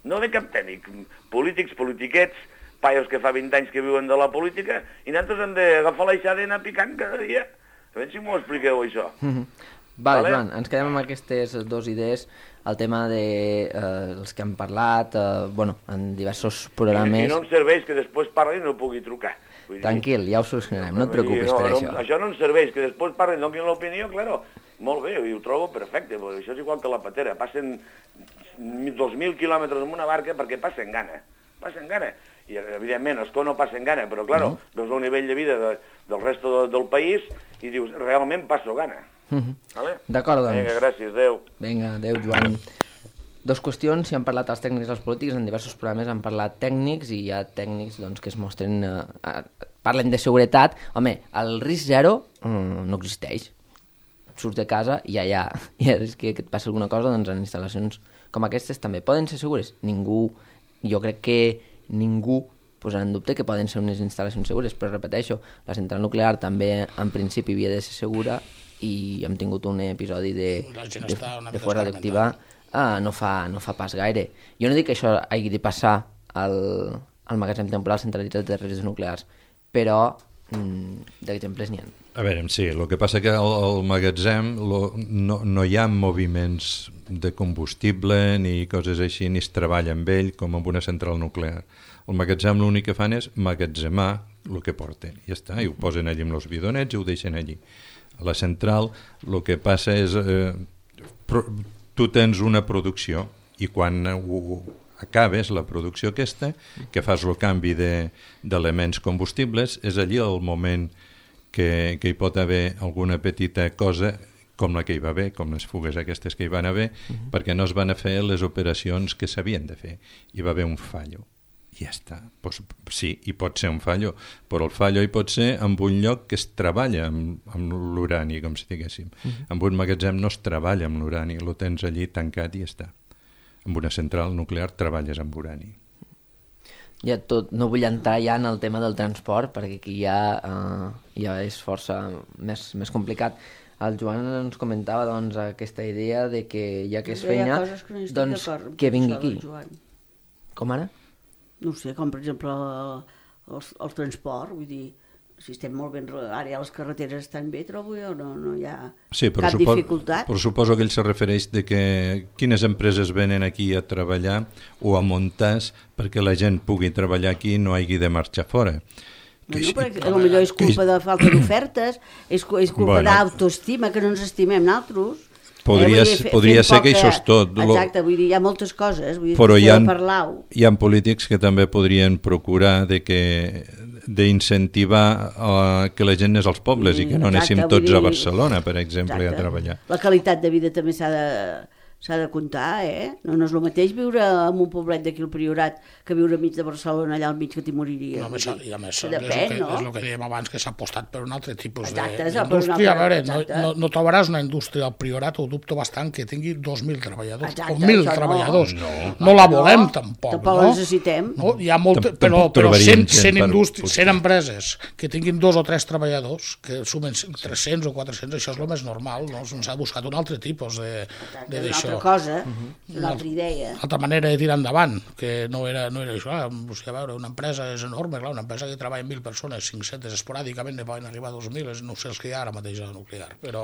No ve cap tècnic. Polítics, politiquets, paios que fa vint anys que viuen de la política, i nosaltres hem d'agafar l'aixada i anar picant cada dia. A veure si m'ho expliqueu, això. Mm -hmm. Vale, vale, Joan, ens quedem amb aquestes dues idees. El tema de eh, els que han parlat, eh, bueno, en diversos programes... I, i no em serveix que després parli i no pugui trucar. Vull Tranquil, dir... ja ho solucionarem, no et preocupis no, per no, això. Això no em serveix, que després parli i donin l'opinió, claro, molt bé, i ho trobo perfecte, perquè això és igual que la patera, passen dos mil quilòmetres amb una barca perquè passen gana, passen gana. I evidentment Escó no passen gana, però claro, uh -huh. veus el nivell de vida de, del resto de, del país i dius, realment passo gana. Uh -huh. vale? D'acord, doncs. Vinga, gràcies, adeu. Vinga, adeu, Joan. Dos qüestions, si han parlat els tècnics i els polítics, en diversos programes han parlat tècnics i hi ha tècnics doncs, que es mostren, eh, eh, parlen de seguretat. Home, el risc zero eh, no existeix. Surts de casa i ja, ja, ja és que, que et passa alguna cosa, doncs en instal·lacions com aquestes també poden ser segures. Ningú, jo crec que ningú posarà en dubte que poden ser unes instal·lacions segures, però repeteixo, la central nuclear també en principi havia de ser segura i hem tingut un episodi de, de, de fora radioactiva ah, no, fa, no fa pas gaire. Jo no dic que això hagi de passar al, al magatzem temporal centralitzat de residus nuclears, però mm, d'exemples n'hi ha. A veure, sí, el que passa que al, al magatzem lo, no, no hi ha moviments de combustible ni coses així, ni es treballa amb ell com amb una central nuclear. El magatzem l'únic que fan és magatzemar el que porten, i ja està, i ho posen allí amb els bidonets i ho deixen allí. A la central el que passa és eh, pro, tu tens una producció i quan ho acabes la producció aquesta, que fas el canvi d'elements de, combustibles, és allí el moment que, que hi pot haver alguna petita cosa com la que hi va haver, com les fugues aquestes que hi van haver, uh -huh. perquè no es van a fer les operacions que s'havien de fer. Hi va haver un fallo. I ja està. Pues, sí, hi pot ser un fallo, però el fallo hi pot ser en un lloc que es treballa amb, amb l'urani, com si diguéssim. Uh -huh. En un magatzem no es treballa amb l'urani, lo tens allí tancat i ja està. En una central nuclear treballes amb urani. Ja tot, no vull entrar ja en el tema del transport, perquè aquí ja, uh, ja és força més, més complicat. El Joan ens comentava doncs, aquesta idea de que ja que és fenya, que doncs que vingui aquí. Com ara? No sé, com per exemple el, el transport, vull dir, si estem molt ben... Ara ja les carreteres estan bé, trobo jo, no, no hi ha sí, cap supo, dificultat. Però suposo que ell se refereix de que quines empreses venen aquí a treballar o a muntar perquè la gent pugui treballar aquí i no hagi de marxar fora. Bueno, perquè potser és culpa de falta d'ofertes, és, és culpa bueno. d'autoestima, que no ens estimem nosaltres. Podria, eh, dir, podria ser poca... que això és tot. Exacte, vull dir, hi ha moltes coses, vull dir, però hi ha, hi ha polítics que també podrien procurar de que d'incentivar uh, que la gent anés als pobles mm, i que no anéssim exacte, tots dir... a Barcelona, per exemple, exacte. A treballar. La qualitat de vida també s'ha de... s'ha de comptar, eh? No, no és el mateix viure en un poblet d'aquí al Priorat que viure enmig de Barcelona, allà al mig que t'hi moriries. No, més, I a més, depèn, és, el que, no? és el que dèiem abans, que s'ha apostat per un altre tipus exacte, d'indústria. A veure, no, no, no trobaràs una indústria al Priorat, ho dubto bastant, que tingui dos mil treballadors, exacte, o mil treballadors. No, no, no la volem, no, tampoc. Tampoc no? la necessitem. No? Hi ha molt, però però cent, cent, indústries, cent empreses que tinguin dos o tres treballadors, que sumen tres-cents o quatre-cents, això és el més normal, no? S'ha buscat un altre tipus d'això. Una altra cosa. Uh-huh. Una altra idea. Altra manera de tirar endavant, que no era, no era això. Ah, o sigui, a veure, una empresa és enorme, clar, una empresa que treballa mil persones, cinc-centes, esporàdicament ne poden arribar a dos mil, no sé els que hi ha ara mateix a la nuclear, però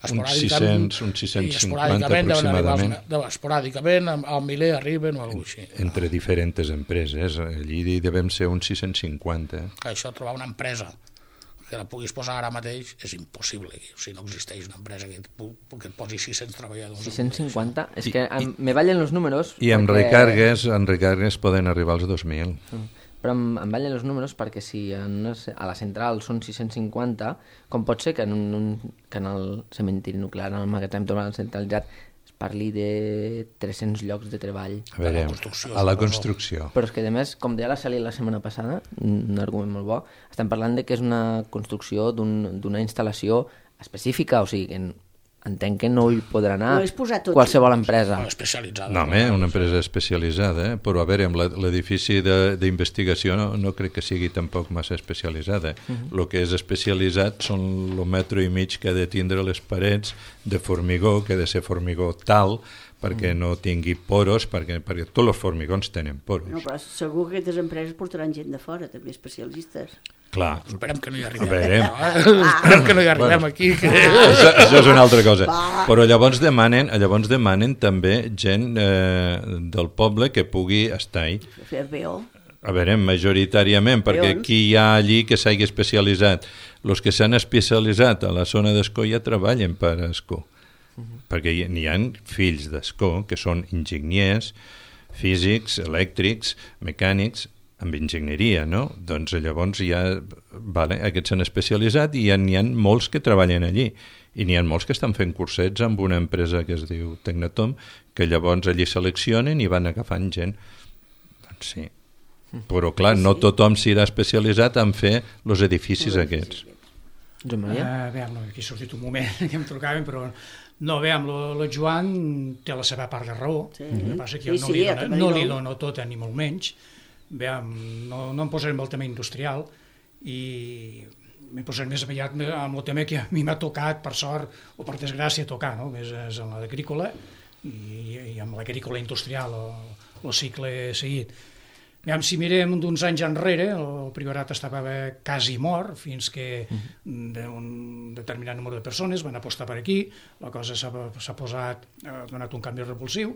esporàdicament... Uns sis-cents cinquanta aproximadament. Esporàdicament, al miler arriben o alguna cosa així. Entre diferents empreses, allí devem ser uns sis-cents cinquanta. Això, trobar una empresa que la puguis posar ara mateix és impossible. O sigui, no existeix una empresa que et, que et posi sis-cents treballadors. sis-cents cinquanta? És que em, me ballen els números... I amb perquè... recargues, en recargues poden arribar als dos mil. Però em, em ballen els números perquè si en una, a la central són sis-cents cinquanta, com pot ser que en, un, que en el cementiri nuclear, en el magatzem total centralitzat, parli de tres-cents llocs de treball. A veure, a la construcció. A la construcció. Però és que, a més, com deia la Celi la setmana passada, un argument molt bo, estem parlant de que és una construcció d'una un, instal·lació específica, o sigui, que entenc que no hi podrà anar no qualsevol empresa. No, especialitzada. No, home, una empresa especialitzada, eh? Però a veure, amb l'edifici d'investigació no, no crec que sigui tampoc massa especialitzada. El uh-huh. que és especialitzat són el metro i mig que ha de tindre les parets de formigó, que ha de ser formigó tal, perquè no tingui poros, perquè, perquè tots els formigons tenen poros. No, però segur que aquestes empreses portaran gent de fora, també especialistes. Clar. Esperem que no hi arribem. Esperem que no hi arribem bueno, aquí. Que... Això, això és una altra cosa. Va. Però llavors demanen, llavors demanen també gent eh, del poble que pugui estar-hi. Fer veo. A veure, majoritàriament, perquè qui hi ha allí que s'hagi especialitzat? Els que s'han especialitzat a la zona d'Escó ja treballen per Escó. Uh-huh. Perquè n'hi ha fills d'Escó que són enginyers, físics, elèctrics, mecànics, amb enginyeria, no? Doncs llavors ja, vale, aquests s'han especialitzat i n'hi ha molts que treballen allí. I n'hi ha molts que estan fent cursets amb una empresa que es diu Tecnatom, que llavors allí seleccionen i van agafant gent. Doncs sí. Però clar, no tothom s'irà especialitzat en fer els edificis aquests. Joan Maria? Uh, veiem, aquí ha sortit un moment que em trucaven, però no, veiem, el Joan té la seva part de raó, sí. El que passa que jo sí, no, li dono, sí, no li dono tota ni molt menys. Veiem, no, no em posaré amb el tema industrial i m'he posat més aviat amb el tema que a mi m'ha tocat, per sort o per desgràcia, tocar, no? Més és en l'agrícola i, i amb l'agrícola industrial el cicle seguit. Veiem, si mirem d'uns anys enrere, el Priorat estava quasi mort fins que un determinat número de persones van apostar per aquí, la cosa s'ha posat, ha donat un canvi repulsiu.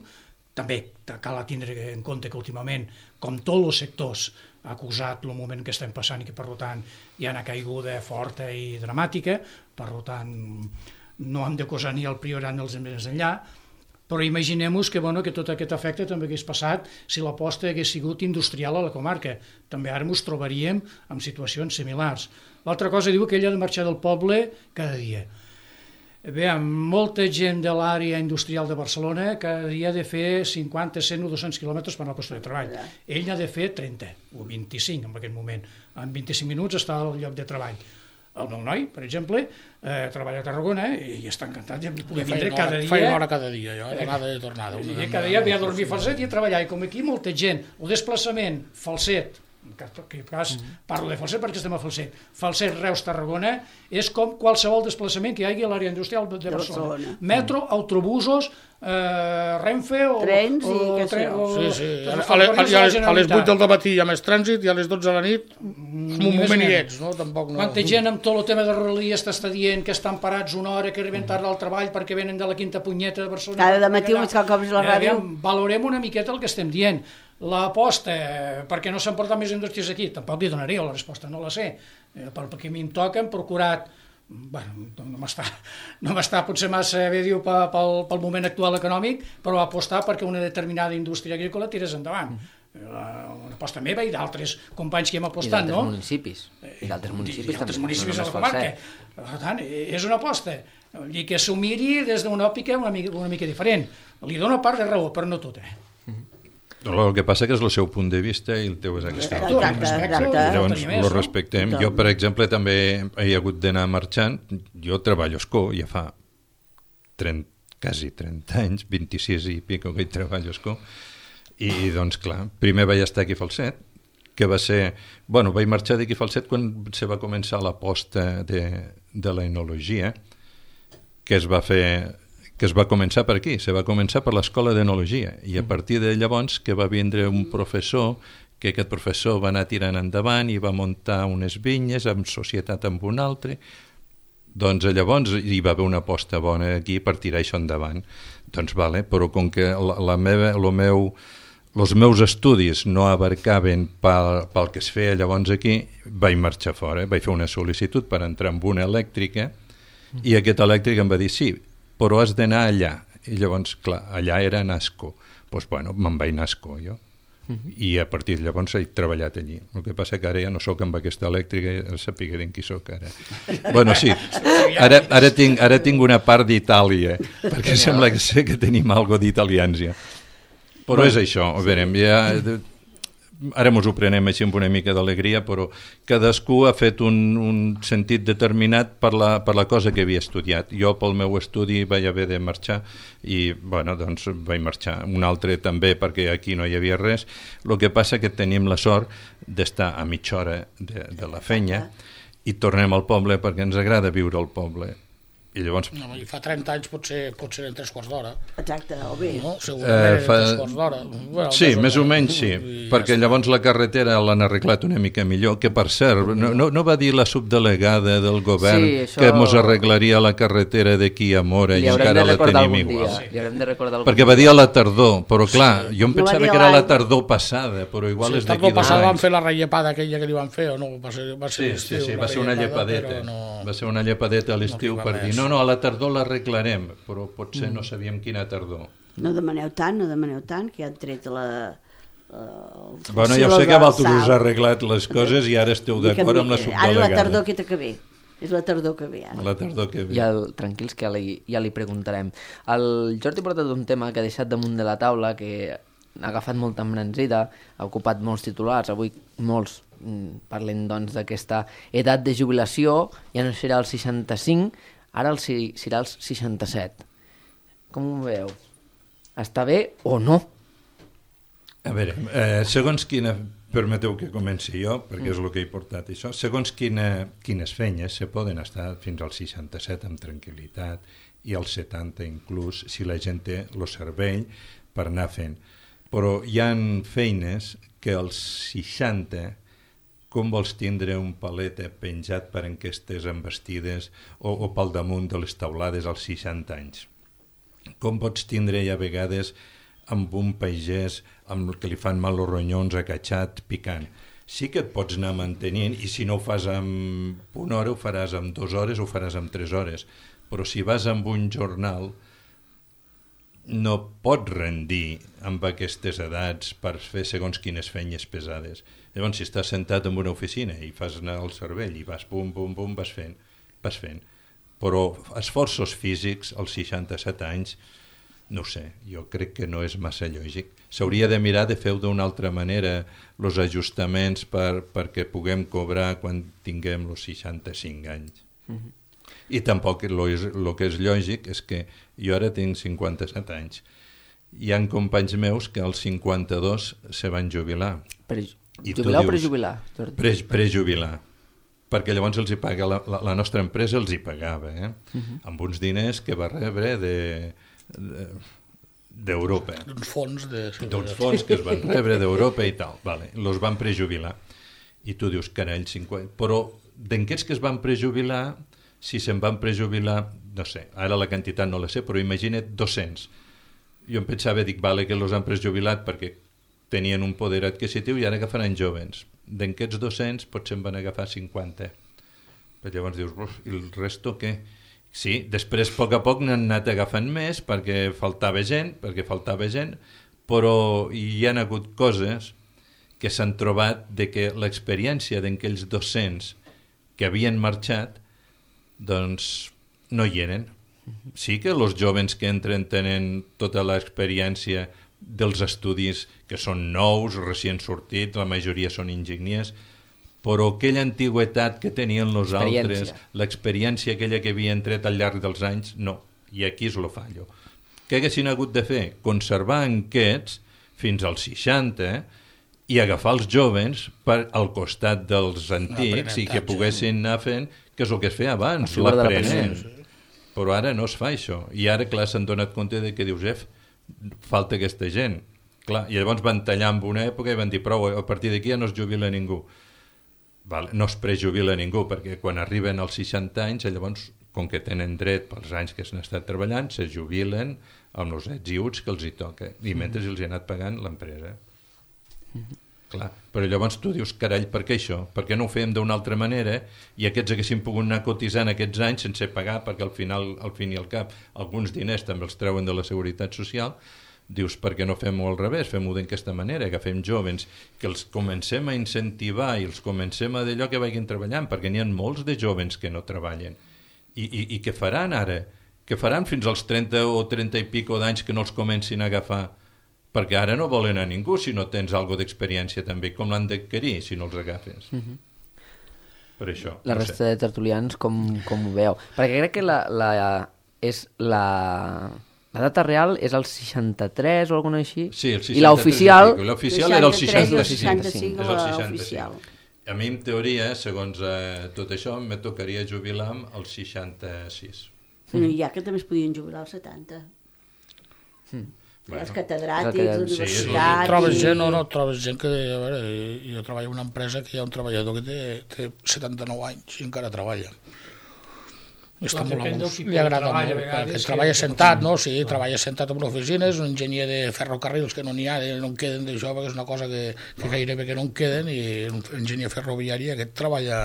També cal tindre en compte que últimament, com tots els sectors, ha acusat el moment que estem passant i que per tant hi ha una caiguda forta i dramàtica, per tant no hem d'acusar ni el Priorat ni els més enllà, però imaginem-nos que, bueno, que tot aquest efecte també hagués passat si l'aposta hagués sigut industrial a la comarca. També ara ens trobaríem en situacions similars. L'altra cosa diu que ell ha de marxar del poble cada dia. Bé, molta gent de l'àrea industrial de Barcelona cada dia ha de fer cinquanta, cent o dos-cents quilòmetres per anar al lloc de treball. Ell n'ha de fer trenta o vint-i-cinc en aquest moment. En vint-i-cinc minuts està al lloc de treball. El meu noi, per exemple, eh, treballa a Tarragona i està encantat de poder vindre cada dia. Fa una hora cada dia, jo, anada i tornada. I cada dia ve a dormir falset i a treballar. I com aquí molta gent, el desplaçament, falset, en aquest cas parlo de Falset perquè estem a Falset, Falset, Reus, Tarragona, és com qualsevol desplaçament que hi hagi a l'àrea industrial de Barcelona. Metro, autobusos, eh, Renfe o... Trens i o, què sé jo. Sí, sí, a, a, a, a, a les vuit del matí hi ha més trànsit i a les dotze de la nit en un moment hi ets, no? Tampoc no. Quanta gent amb tot el tema de Rodalies t'està dient que estan parats una hora, que arriben tard al treball perquè venen de la quinta punyeta de Barcelona. Cada matí uns cops a la ràdio. Valorem una miqueta el que estem dient. l'aposta perquè no s'han portat més indústries aquí, tampoc li donaria la resposta, no la sé, perquè a mi em toca, hem procurat, bueno, no m'està no m'està potser massa bé dir pel, pel moment actual econòmic, però apostar perquè una determinada indústria agrícola tirés endavant. Una aposta meva i d'altres companys que hem apostat, no? I d'altres municipis. I d'altres municipis, I d'altres municipis de la comarca. Per tant, és una aposta. I que s'ho miri des d'una òptica una mica, una mica diferent. Li dono part de raó, però no tota. El que passa que és el seu punt de vista i el teu és aquest. Llavors, ho respectem. Jo, per exemple, també he hagut d'anar marxant. Jo treballo a Escó, ja fa trenta, quasi trenta anys, vint-i-sis i pico que hi treballo a Escó. I, doncs, clar, primer vaig estar aquí a Falset, que va ser... Bueno, vaig marxar d'aquí a Falset quan se va començar l'aposta de, de la enologia, que es va fer... que es va començar per aquí, se va començar per l'escola d'enologia, i a partir de llavors que va vindre un professor, que aquest professor va anar tirant endavant i va muntar unes vinyes en societat amb un altre, doncs llavors hi va haver una aposta bona aquí per tirar això endavant. Doncs vale, però com que la, la meva, lo meu... els meus estudis no abarcaven pel, pel que es feia llavors aquí, vaig marxar fora, vaig fer una sol·licitud per entrar en una elèctrica i aquest elèctric em va dir sí, però has d'anar allà. I llavors, clar, allà era Nasco. Doncs, bueno, me'n vaig a Nasco, jo. I a partir de llavors he treballat allí. El que passa que ara ja no sóc amb aquesta elèctrica, sapiguem qui sóc ara. Bueno, sí, ara, ara, tinc, ara tinc una part d'Itàlia, perquè sembla que sé que tenim alguna d'italians ja. Però és això, a veure, ja, ara ens ho prenem així amb una mica d'alegria, però cadascú ha fet un, un sentit determinat per la, per la cosa que havia estudiat. Jo pel meu estudi vaig haver de marxar i, bueno, doncs vaig marxar. Un altre també, perquè aquí no hi havia res. El que passa que tenim la sort d'estar a mitja hora de, de la feina i tornem al poble perquè ens agrada viure al poble. I llavors... No, i fa trenta anys potser, potser en tres quarts d'hora. Exacte, o bé. No? Segurament eh, fa... en tres quarts d'hora. Bueno, sí, més o menys sí, perquè ja llavors la carretera l'han arreglat una mica millor, que per cert, no, no, no va dir la subdelegada del govern sí, això... que mos arreglaria la carretera d'aquí a Mora i encara la tenim igual. Sí. Li haurem de recordar perquè va dir a la tardor, però clar, jo em pensava no que era la tardor passada, però igual sí, és d'aquí dos anys. La tardor passada van fer la rellepada aquella que li van fer, o no? Va ser, va ser sí, sí, sí, va ser una llepadeta, no... va ser una llepadeta a l'estiu no per dir, no, no, a la tardor l'arreglarem, però potser mm. no sabíem quina tardor. No demaneu tant, no demaneu tant, que ja han tret la... Uh, bueno, ja sé que vosaltres us ha arreglat les coses i ara esteu d'acord amb la subdelegada. Ara la tardor que que ve. És la tardor que ve, ara. La tardor que ve. Ja, tranquils, que ja li, ja li preguntarem. El Jordi ha portat un tema que ha deixat damunt de la taula, que ha agafat molta embranzida, ha ocupat molts titulars, avui molts parlen doncs d'aquesta edat de jubilació, ja no serà el seixanta-cinc, ara el, serà els seixanta-set. Com ho veieu? Està bé o no? A veure, eh, segons quina... Permeteu que comenci jo, perquè és el que he portat això. Segons quina, quines feines se poden estar fins als seixanta-set amb tranquil·litat i als setanta inclús, si la gent té el cervell per anar fent. Però hi ha feines que als seixanta... com vols tindre un palet penjat per enquestes envestides o, o pel damunt de les taulades als seixanta anys? Com pots tindre ja a vegades amb un pagès amb el que li fan mal els ronyons acatxat, picant? Sí que et pots anar mantenint i si no ho fas en una hora ho faràs en dues hores o ho faràs en tres hores, però si vas amb un jornal no pots rendir amb aquestes edats per fer segons quines feines pesades. Llavors, si estàs sentat en una oficina i fas anar el cervell i vas pum, pum, pum, vas fent, vas fent. Però esforços físics als seixanta-set anys, no sé, jo crec que no és massa lògic. S'hauria de mirar de fer-ho d'una altra manera, els ajustaments per, perquè puguem cobrar quan tinguem els seixanta-cinc anys. Mm-hmm. I tampoc el que és lògic és que jo ara tinc cinquanta-set anys. Hi ha companys meus que als cinquanta-dos se van jubilar. Per jubilar o prejubilar? Pre, prejubilar. Perquè llavors els hi paga, la, la, la nostra empresa els hi pagava, eh? Uh-huh. Amb uns diners que va rebre de, de, d'Europa. D'uns fons. De... D'uns fons que es van rebre d'Europa i tal. Vale. Los van prejubilar. I tu dius, carai, cinquanta... Però d'aquests que es van prejubilar, si se'n van prejubilar, no sé, ara la quantitat no la sé, però imagina't dos-cents. Jo em pensava, dic, vale, que los han prejubilat perquè tenien un poder adquisitiu i ara agafaran jovens. D'aquests dos-cents potser en van agafar cinquanta. Però llavors dius, i el resto què? Sí, després a poc a poc n'han anat agafant més perquè faltava gent, perquè faltava gent, però hi ha hagut coses que s'han trobat de que l'experiència d'aquells dos-cents que havien marxat, doncs no hi eren. Sí que els joves que entren tenen tota l'experiència dels estudis que són nous, recient sortits, la majoria són enginyers, però aquella antigüetat que tenien els altres, l'experiència aquella que havien tret al llarg dels anys, no. I aquí és el fallo. Què haguessin hagut de fer? Conservar aquests fins als seixanta i agafar els joves per al costat dels antics i que poguessin anar fent, que és el que es feia abans, l'aprenent. Però ara no es fa això. I ara, clar, s'han donat compte de que dius, ef, falta aquesta gent. Clar, i llavors van tallar en una època i van dir, prou, a partir d'aquí ja no es jubila ningú. Vale, no es prejubila ningú, perquè quan arriben als seixanta anys, llavors, com que tenen dret pels anys que s'han estat treballant, se jubilen amb els ets i uts que els hi toca, i mentre els hi ha anat pagant l'empresa. Mm-hmm. Clar, però llavors tu dius, carall, per què això? Per què no ho fem d'una altra manera i aquests haguessin pogut anar cotitzant aquests anys sense pagar, perquè al final, al fin i al cap, alguns diners també els treuen de la Seguretat Social. Dius, per què no fem-ho al revés? Fem-ho d'aquesta manera, agafem jovens, que els comencem a incentivar i els comencem a d'allò que vagin treballant, perquè n'hi ha molts de jovens que no treballen. I, i, i què faran ara? Què faran fins als trenta o trenta i pico d'anys que no els comencin a agafar? Perquè ara no volen a ningú si no tens alguna d'experiència també, com l'han d'adquirir si no els agafes. Mm-hmm. Per això. La no resta sé. de tertulians com, com ho veieu? Perquè crec que la, la, és la... La data real és el seixanta-tres o alguna així? Sí, el seixanta-tres. I l'oficial... L'oficial era el seixanta-cinc. seixanta-cinc, és el l'oficial. A mi, en teoria, segons eh, tot això, me tocaria jubilar al seixanta-sis. No, hi ha que també es podien jubilar als setanta. Mm. Bueno, els catedràtics, sí, universitats... Trobes gent o no trobes gent que... A veure, jo treballo en una empresa que hi ha un treballador que té, té setanta-nou anys i encara treballa. Està molt a gust, li agrada molt, perquè treballa sentat, no? Sí, treballa sentat en una oficina, és un enginyer de ferrocarrils que no n'hi ha, no en queden d'això, perquè és una cosa que, que gairebé que no en queden, i un enginyer ferroviari aquest treballa,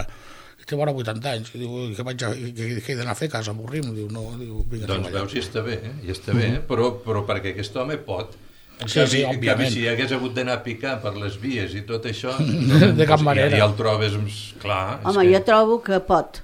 té vora vuitanta anys, i diu, què vaig a, que, que he d'anar a fer a casa, avorrim, diu, no, diu, vinga a doncs treballar. veus si està bé, eh? I està bé, eh? però, però perquè aquest home pot. En Sí, canvi, sí, en canvi, òbviament. si hagués hagut d'anar a picar per les vies i tot això, De cap manera. Ja, ja el trobes, clar. és Home, que... jo trobo que pot,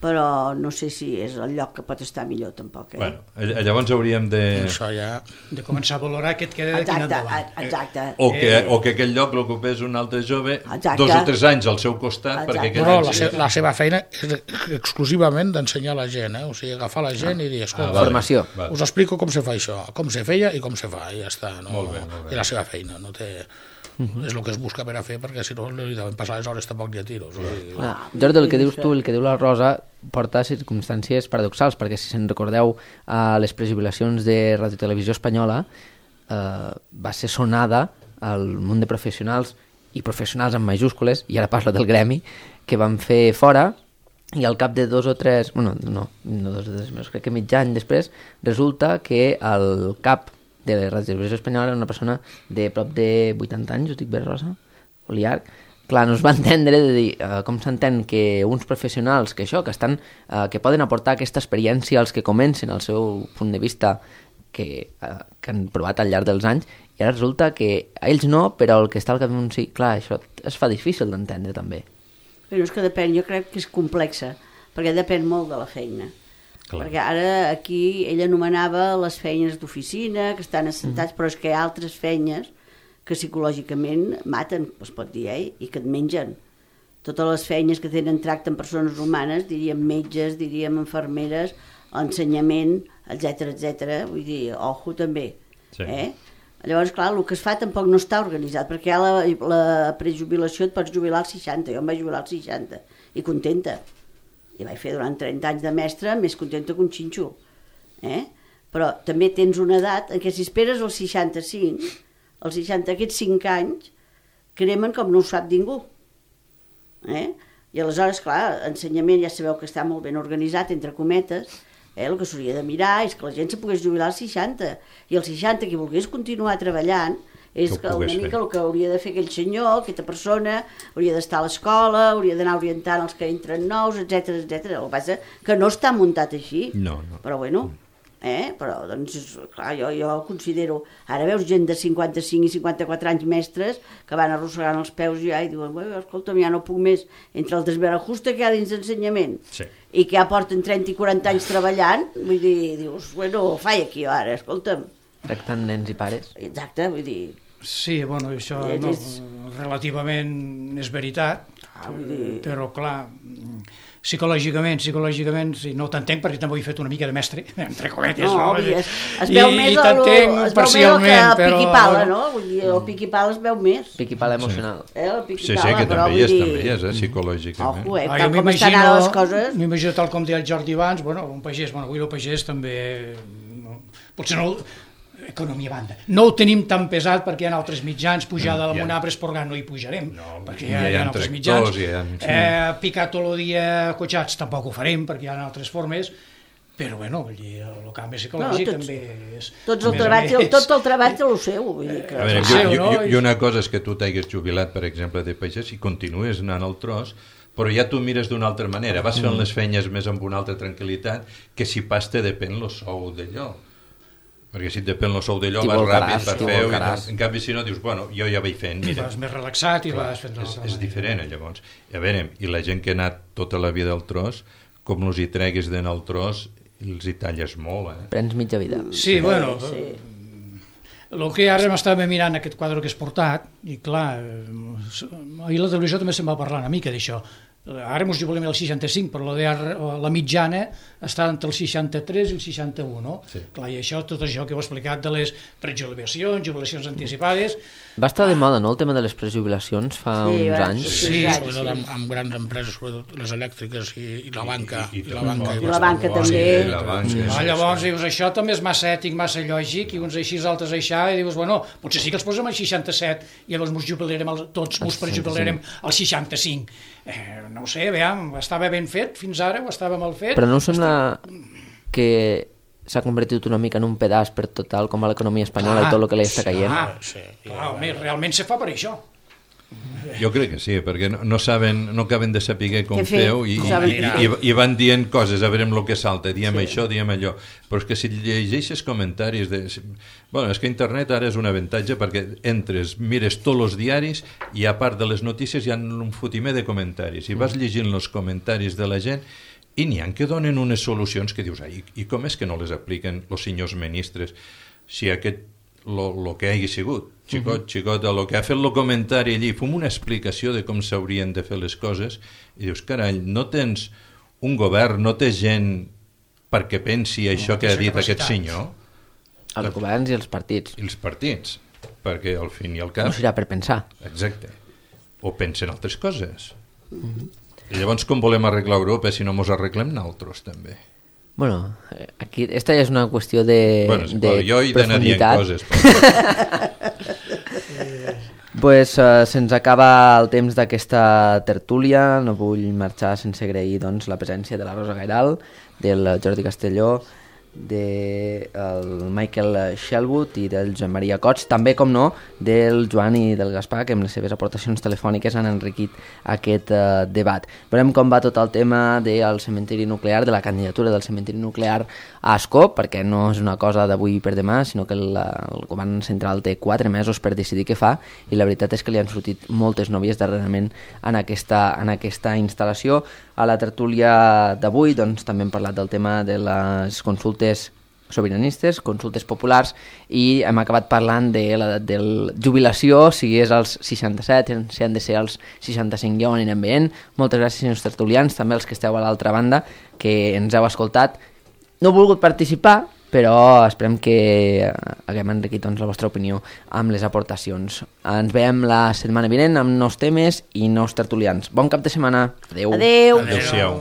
però no sé si és el lloc que pot estar millor tampoc. Eh? Bueno, ll- llavors hauríem de... Això ja... De començar a valorar què et queda d'aquí en Exacte, endavant. exacte. O que, o que aquell lloc l'ocupés un altre jove Exacte. dos o tres anys al seu costat Exacte. perquè No, aquell no, any la, sí- se la seva feina és exclusivament d'ensenyar a la gent, eh? O sigui, agafar la gent i dir, escolta, Ah, vale, Formació. vale. us explico com se fa això, com se feia i com se fa, i ja està, no? Molt bé, molt bé. I la seva feina, no té... És el que es busca per a fer, perquè si no li deuen passar les hores tampoc ni a tiros. O sigui, Ah, Jordi, el que dius tu, el que diu la Rosa, porta circumstàncies paradoxals, perquè si se'n recordeu a les prejubilacions de Ràdio Televisió Espanyola, eh, va ser sonada al munt de professionals, i professionals amb majúscules, i ara parlo del gremi, que van fer fora, i al cap de dos o tres, bueno, no, no dos o tres mesos, crec que mig any després, resulta que el cap de la Ràdio Televisió Espanyola era una persona de prop de vuitanta anys, ho dic bé, Rosa? O llarg? Clar, no es va entendre de dir uh, com s'entén que uns professionals que això, que estan, uh, que poden aportar aquesta experiència als que comencen al seu punt de vista que, uh, que han provat al llarg dels anys, i ara resulta que a ells no, però el que està al cap d'un sí, clar, això es fa difícil d'entendre també. Però és que depèn, jo crec que és complexa, perquè depèn molt de la feina. Clar. Perquè ara aquí ell anomenava les feines d'oficina, que estan assentats, mm. però és que hi ha altres feines que psicològicament maten, es pot dir, eh? I que et mengen. Totes les feines que tenen tracte amb persones humanes, diríem metges, diríem infermeres, ensenyament, etcètera, etcètera. Vull dir, ojo també. Sí. Eh? Llavors, clar, el que es fa tampoc no està organitzat, perquè a la, la prejubilació et pots jubilar als seixanta, jo em vaig jubilar als seixanta, i contenta. I vaig fer durant trenta anys de mestre, més contenta que un xinxo. Eh? Però també tens una edat en què si esperes als seixanta-cinc, als seixanta, aquests cinc anys, cremen com no ho sap ningú. Eh? I aleshores, clar, ensenyament ja sabeu que està molt ben organitzat, entre cometes, eh? El que s'hauria de mirar és que la gent se pogués jubilar als seixanta, i als seixanta qui volgués continuar treballant és que que ho una pogués mica fer. el que hauria de fer aquell senyor, aquesta persona, hauria d'estar a l'escola, hauria d'anar orientant els que entren nous, etcètera, etcètera. El que passa que no està muntat així. No, no. Però bueno, eh? Però doncs, clar, jo, jo considero... Ara veus gent de cinquanta-cinc i cinquanta-quatre anys mestres que van arrossegant els peus ja i diuen, bueno, escolta'm, ja no puc més entre el desbarajuste que hi ha dins d'ensenyament Sí. i que ja porten trenta i quaranta anys treballant, vull dir, dius, bueno, faig aquí ara, escolta'm. Tractant nens i pares. Exacte, vull dir... Sí, bueno, això Eh, no, és- relativament és veritat, Ah, vull dir... però clar, psicològicament, psicològicament, sí, no t'entenc perquè també ho he fet una mica de mestre, entre cometes, No, no? vull dir, es, es veu I, més i el, t'entenc es veu més el parcialment, que però... piqui-pala, no? Vull dir, el piqui-pala es veu més. Piqui-pala emocional. Eh, el Sí, piqui-pala, sí, que però també hi vull és, dir... també hi és, eh, psicològicament. Ojo, eh, Ah, tal jo com estan ara les coses... m'imagino tal com deia el Jordi abans, bueno, un pagès, bueno, avui el pagès també, no, potser no, economia a banda, no ho tenim tan pesat perquè hi ha altres mitjans, pujada de Mm, ja. l'Amunà a Esporgar no hi pujarem, No, perquè ja hi ha, hi hi ha ha altres tractors, mitjans, hi ha- sí. eh, picar tot el dia cotxats tampoc ho farem perquè hi ha altres formes, però bueno, vull dir, el canvi psicològic No, tots- també és... Tots a el més a treball, més, tot el treball té el seu, vull dir que... A veure, el jo, seu, jo, no? jo, i una cosa és que tu t'hagués jubilat, per exemple, de pagès i continues anant al tros, però ja tu mires d'una altra manera, vas fent les feines més amb una altra tranquil·litat que si pas te depèn el sou d'allò. Perquè si et depèn el sou d'allò T'hi vas volcaràs, ràpid per t'hi fer-ho, i volcaràs. no- en canvi si no dius, bueno, jo ja vaig fent, I mira. vas més relaxat i Clar, vas fent... és, la- és diferent, eh, llavors. I a veure, i la gent que ha anat tota la vida al tros, com els hi treguis d'anar al tros, els hi talles molt, eh? Prens mitja vida. Sí, bueno, sí. el que ara m'estava mirant aquest quadre que has portat, i clar, eh, ahir la televisió també se'n va parlar una mica d'això. Ara ens jubilem el seixanta-cinc, però la, de, la mitjana està entre el seixanta-tres i el seixanta-u, no? Sí. Clar, i això, tot això que heu explicat de les prejubilacions, jubilacions anticipades, Va estar de moda, no?, el tema de les prejubilacions fa Sí, uns va, anys. sí. Sí, Exacte, sobretot sí. amb, amb grans empreses, sobretot les elèctriques i, i la banca. I- i- I, i la banca, I la banca també. I la banca, ah, llavors dius, això també és massa ètic, massa lògic, i uns així, els altres aixà, i dius, bueno, potser sí que els posem al seixanta-set, i llavors ens jubilarem, el, tots ens prejubilarem al seixanta-cinc. Eh, no ho sé, veiem, estava ben fet fins ara, o estava mal fet. Però no us sembla que s'ha convertit una mica en un pedaç per total com va l'economia espanyola Clar, i tot el que li està caient? Ah, Sí, clar, home, realment se fa per això. Jo crec que sí, perquè no, no saben, no acaben de saber com Què fer, feu i, no i, saben i, què i, fer. i van dient coses, a veure amb el que salta, diem sí. això, diem allò. Però és que si llegeixes comentaris de... Bueno, és que internet ara és un avantatge perquè entres, mires tots els diaris i a part de les notícies hi ha un fotimer de comentaris i vas llegint els comentaris de la gent i n'hi ha que donen unes solucions que dius, ai, i com és que no les apliquen els senyors ministres si aquest lo, lo que hagi sigut, xicot, xicota, lo que ha fet el comentari allí, fem una explicació de com s'haurien de fer les coses i dius, carai, no tens un govern, no té gent perquè pensi això que ha dit aquest senyor, Els governs i els partits. i els partits, perquè al fin i al No cap, serà per pensar. exacte, o pensen altres coses. I llavors com volem arreglar Europa si no mos arreglem nosaltres també? Bueno, eh, aquí, esta ja és una qüestió de, Bueno, és de igual, jo he d'anar dient profunditat. coses. Però... Pues, uh, se'ns acaba el temps d'aquesta tertúlia, no vull marxar sense agrair doncs, la presència de la Rosa Gairal, del Jordi Castelló, del Michael Shelwood i del Joan Maria Cots, també, com no, del Joan i del Gaspar, que amb les seves aportacions telefòniques han enriquit aquest uh, debat. Veurem com va tot el tema del cementiri nuclear, de la candidatura del cementiri nuclear a Ascó, perquè no és una cosa d'avui per demà, sinó que el, el govern central té quatre mesos per decidir què fa, i la veritat és que li han sortit moltes novies darrerament en aquesta, en aquesta instal·lació. A la tertúlia d'avui doncs, també hem parlat del tema de les consultes sobiranistes, consultes populars, i hem acabat parlant de l'edat de jubilació, si és als seixanta-set, si han de ser als seixanta-cinc, ja ho anirem veient. Moltes gràcies, senyors tertulians, també els que esteu a l'altra banda, que ens heu escoltat. No he volgut participar, però esperem que haguem enriquit doncs, la vostra opinió amb les aportacions. Ens veiem la setmana vinent amb nous temes i nous tertulians. Bon cap de setmana. Adeu. Adeu. Adéu-siau.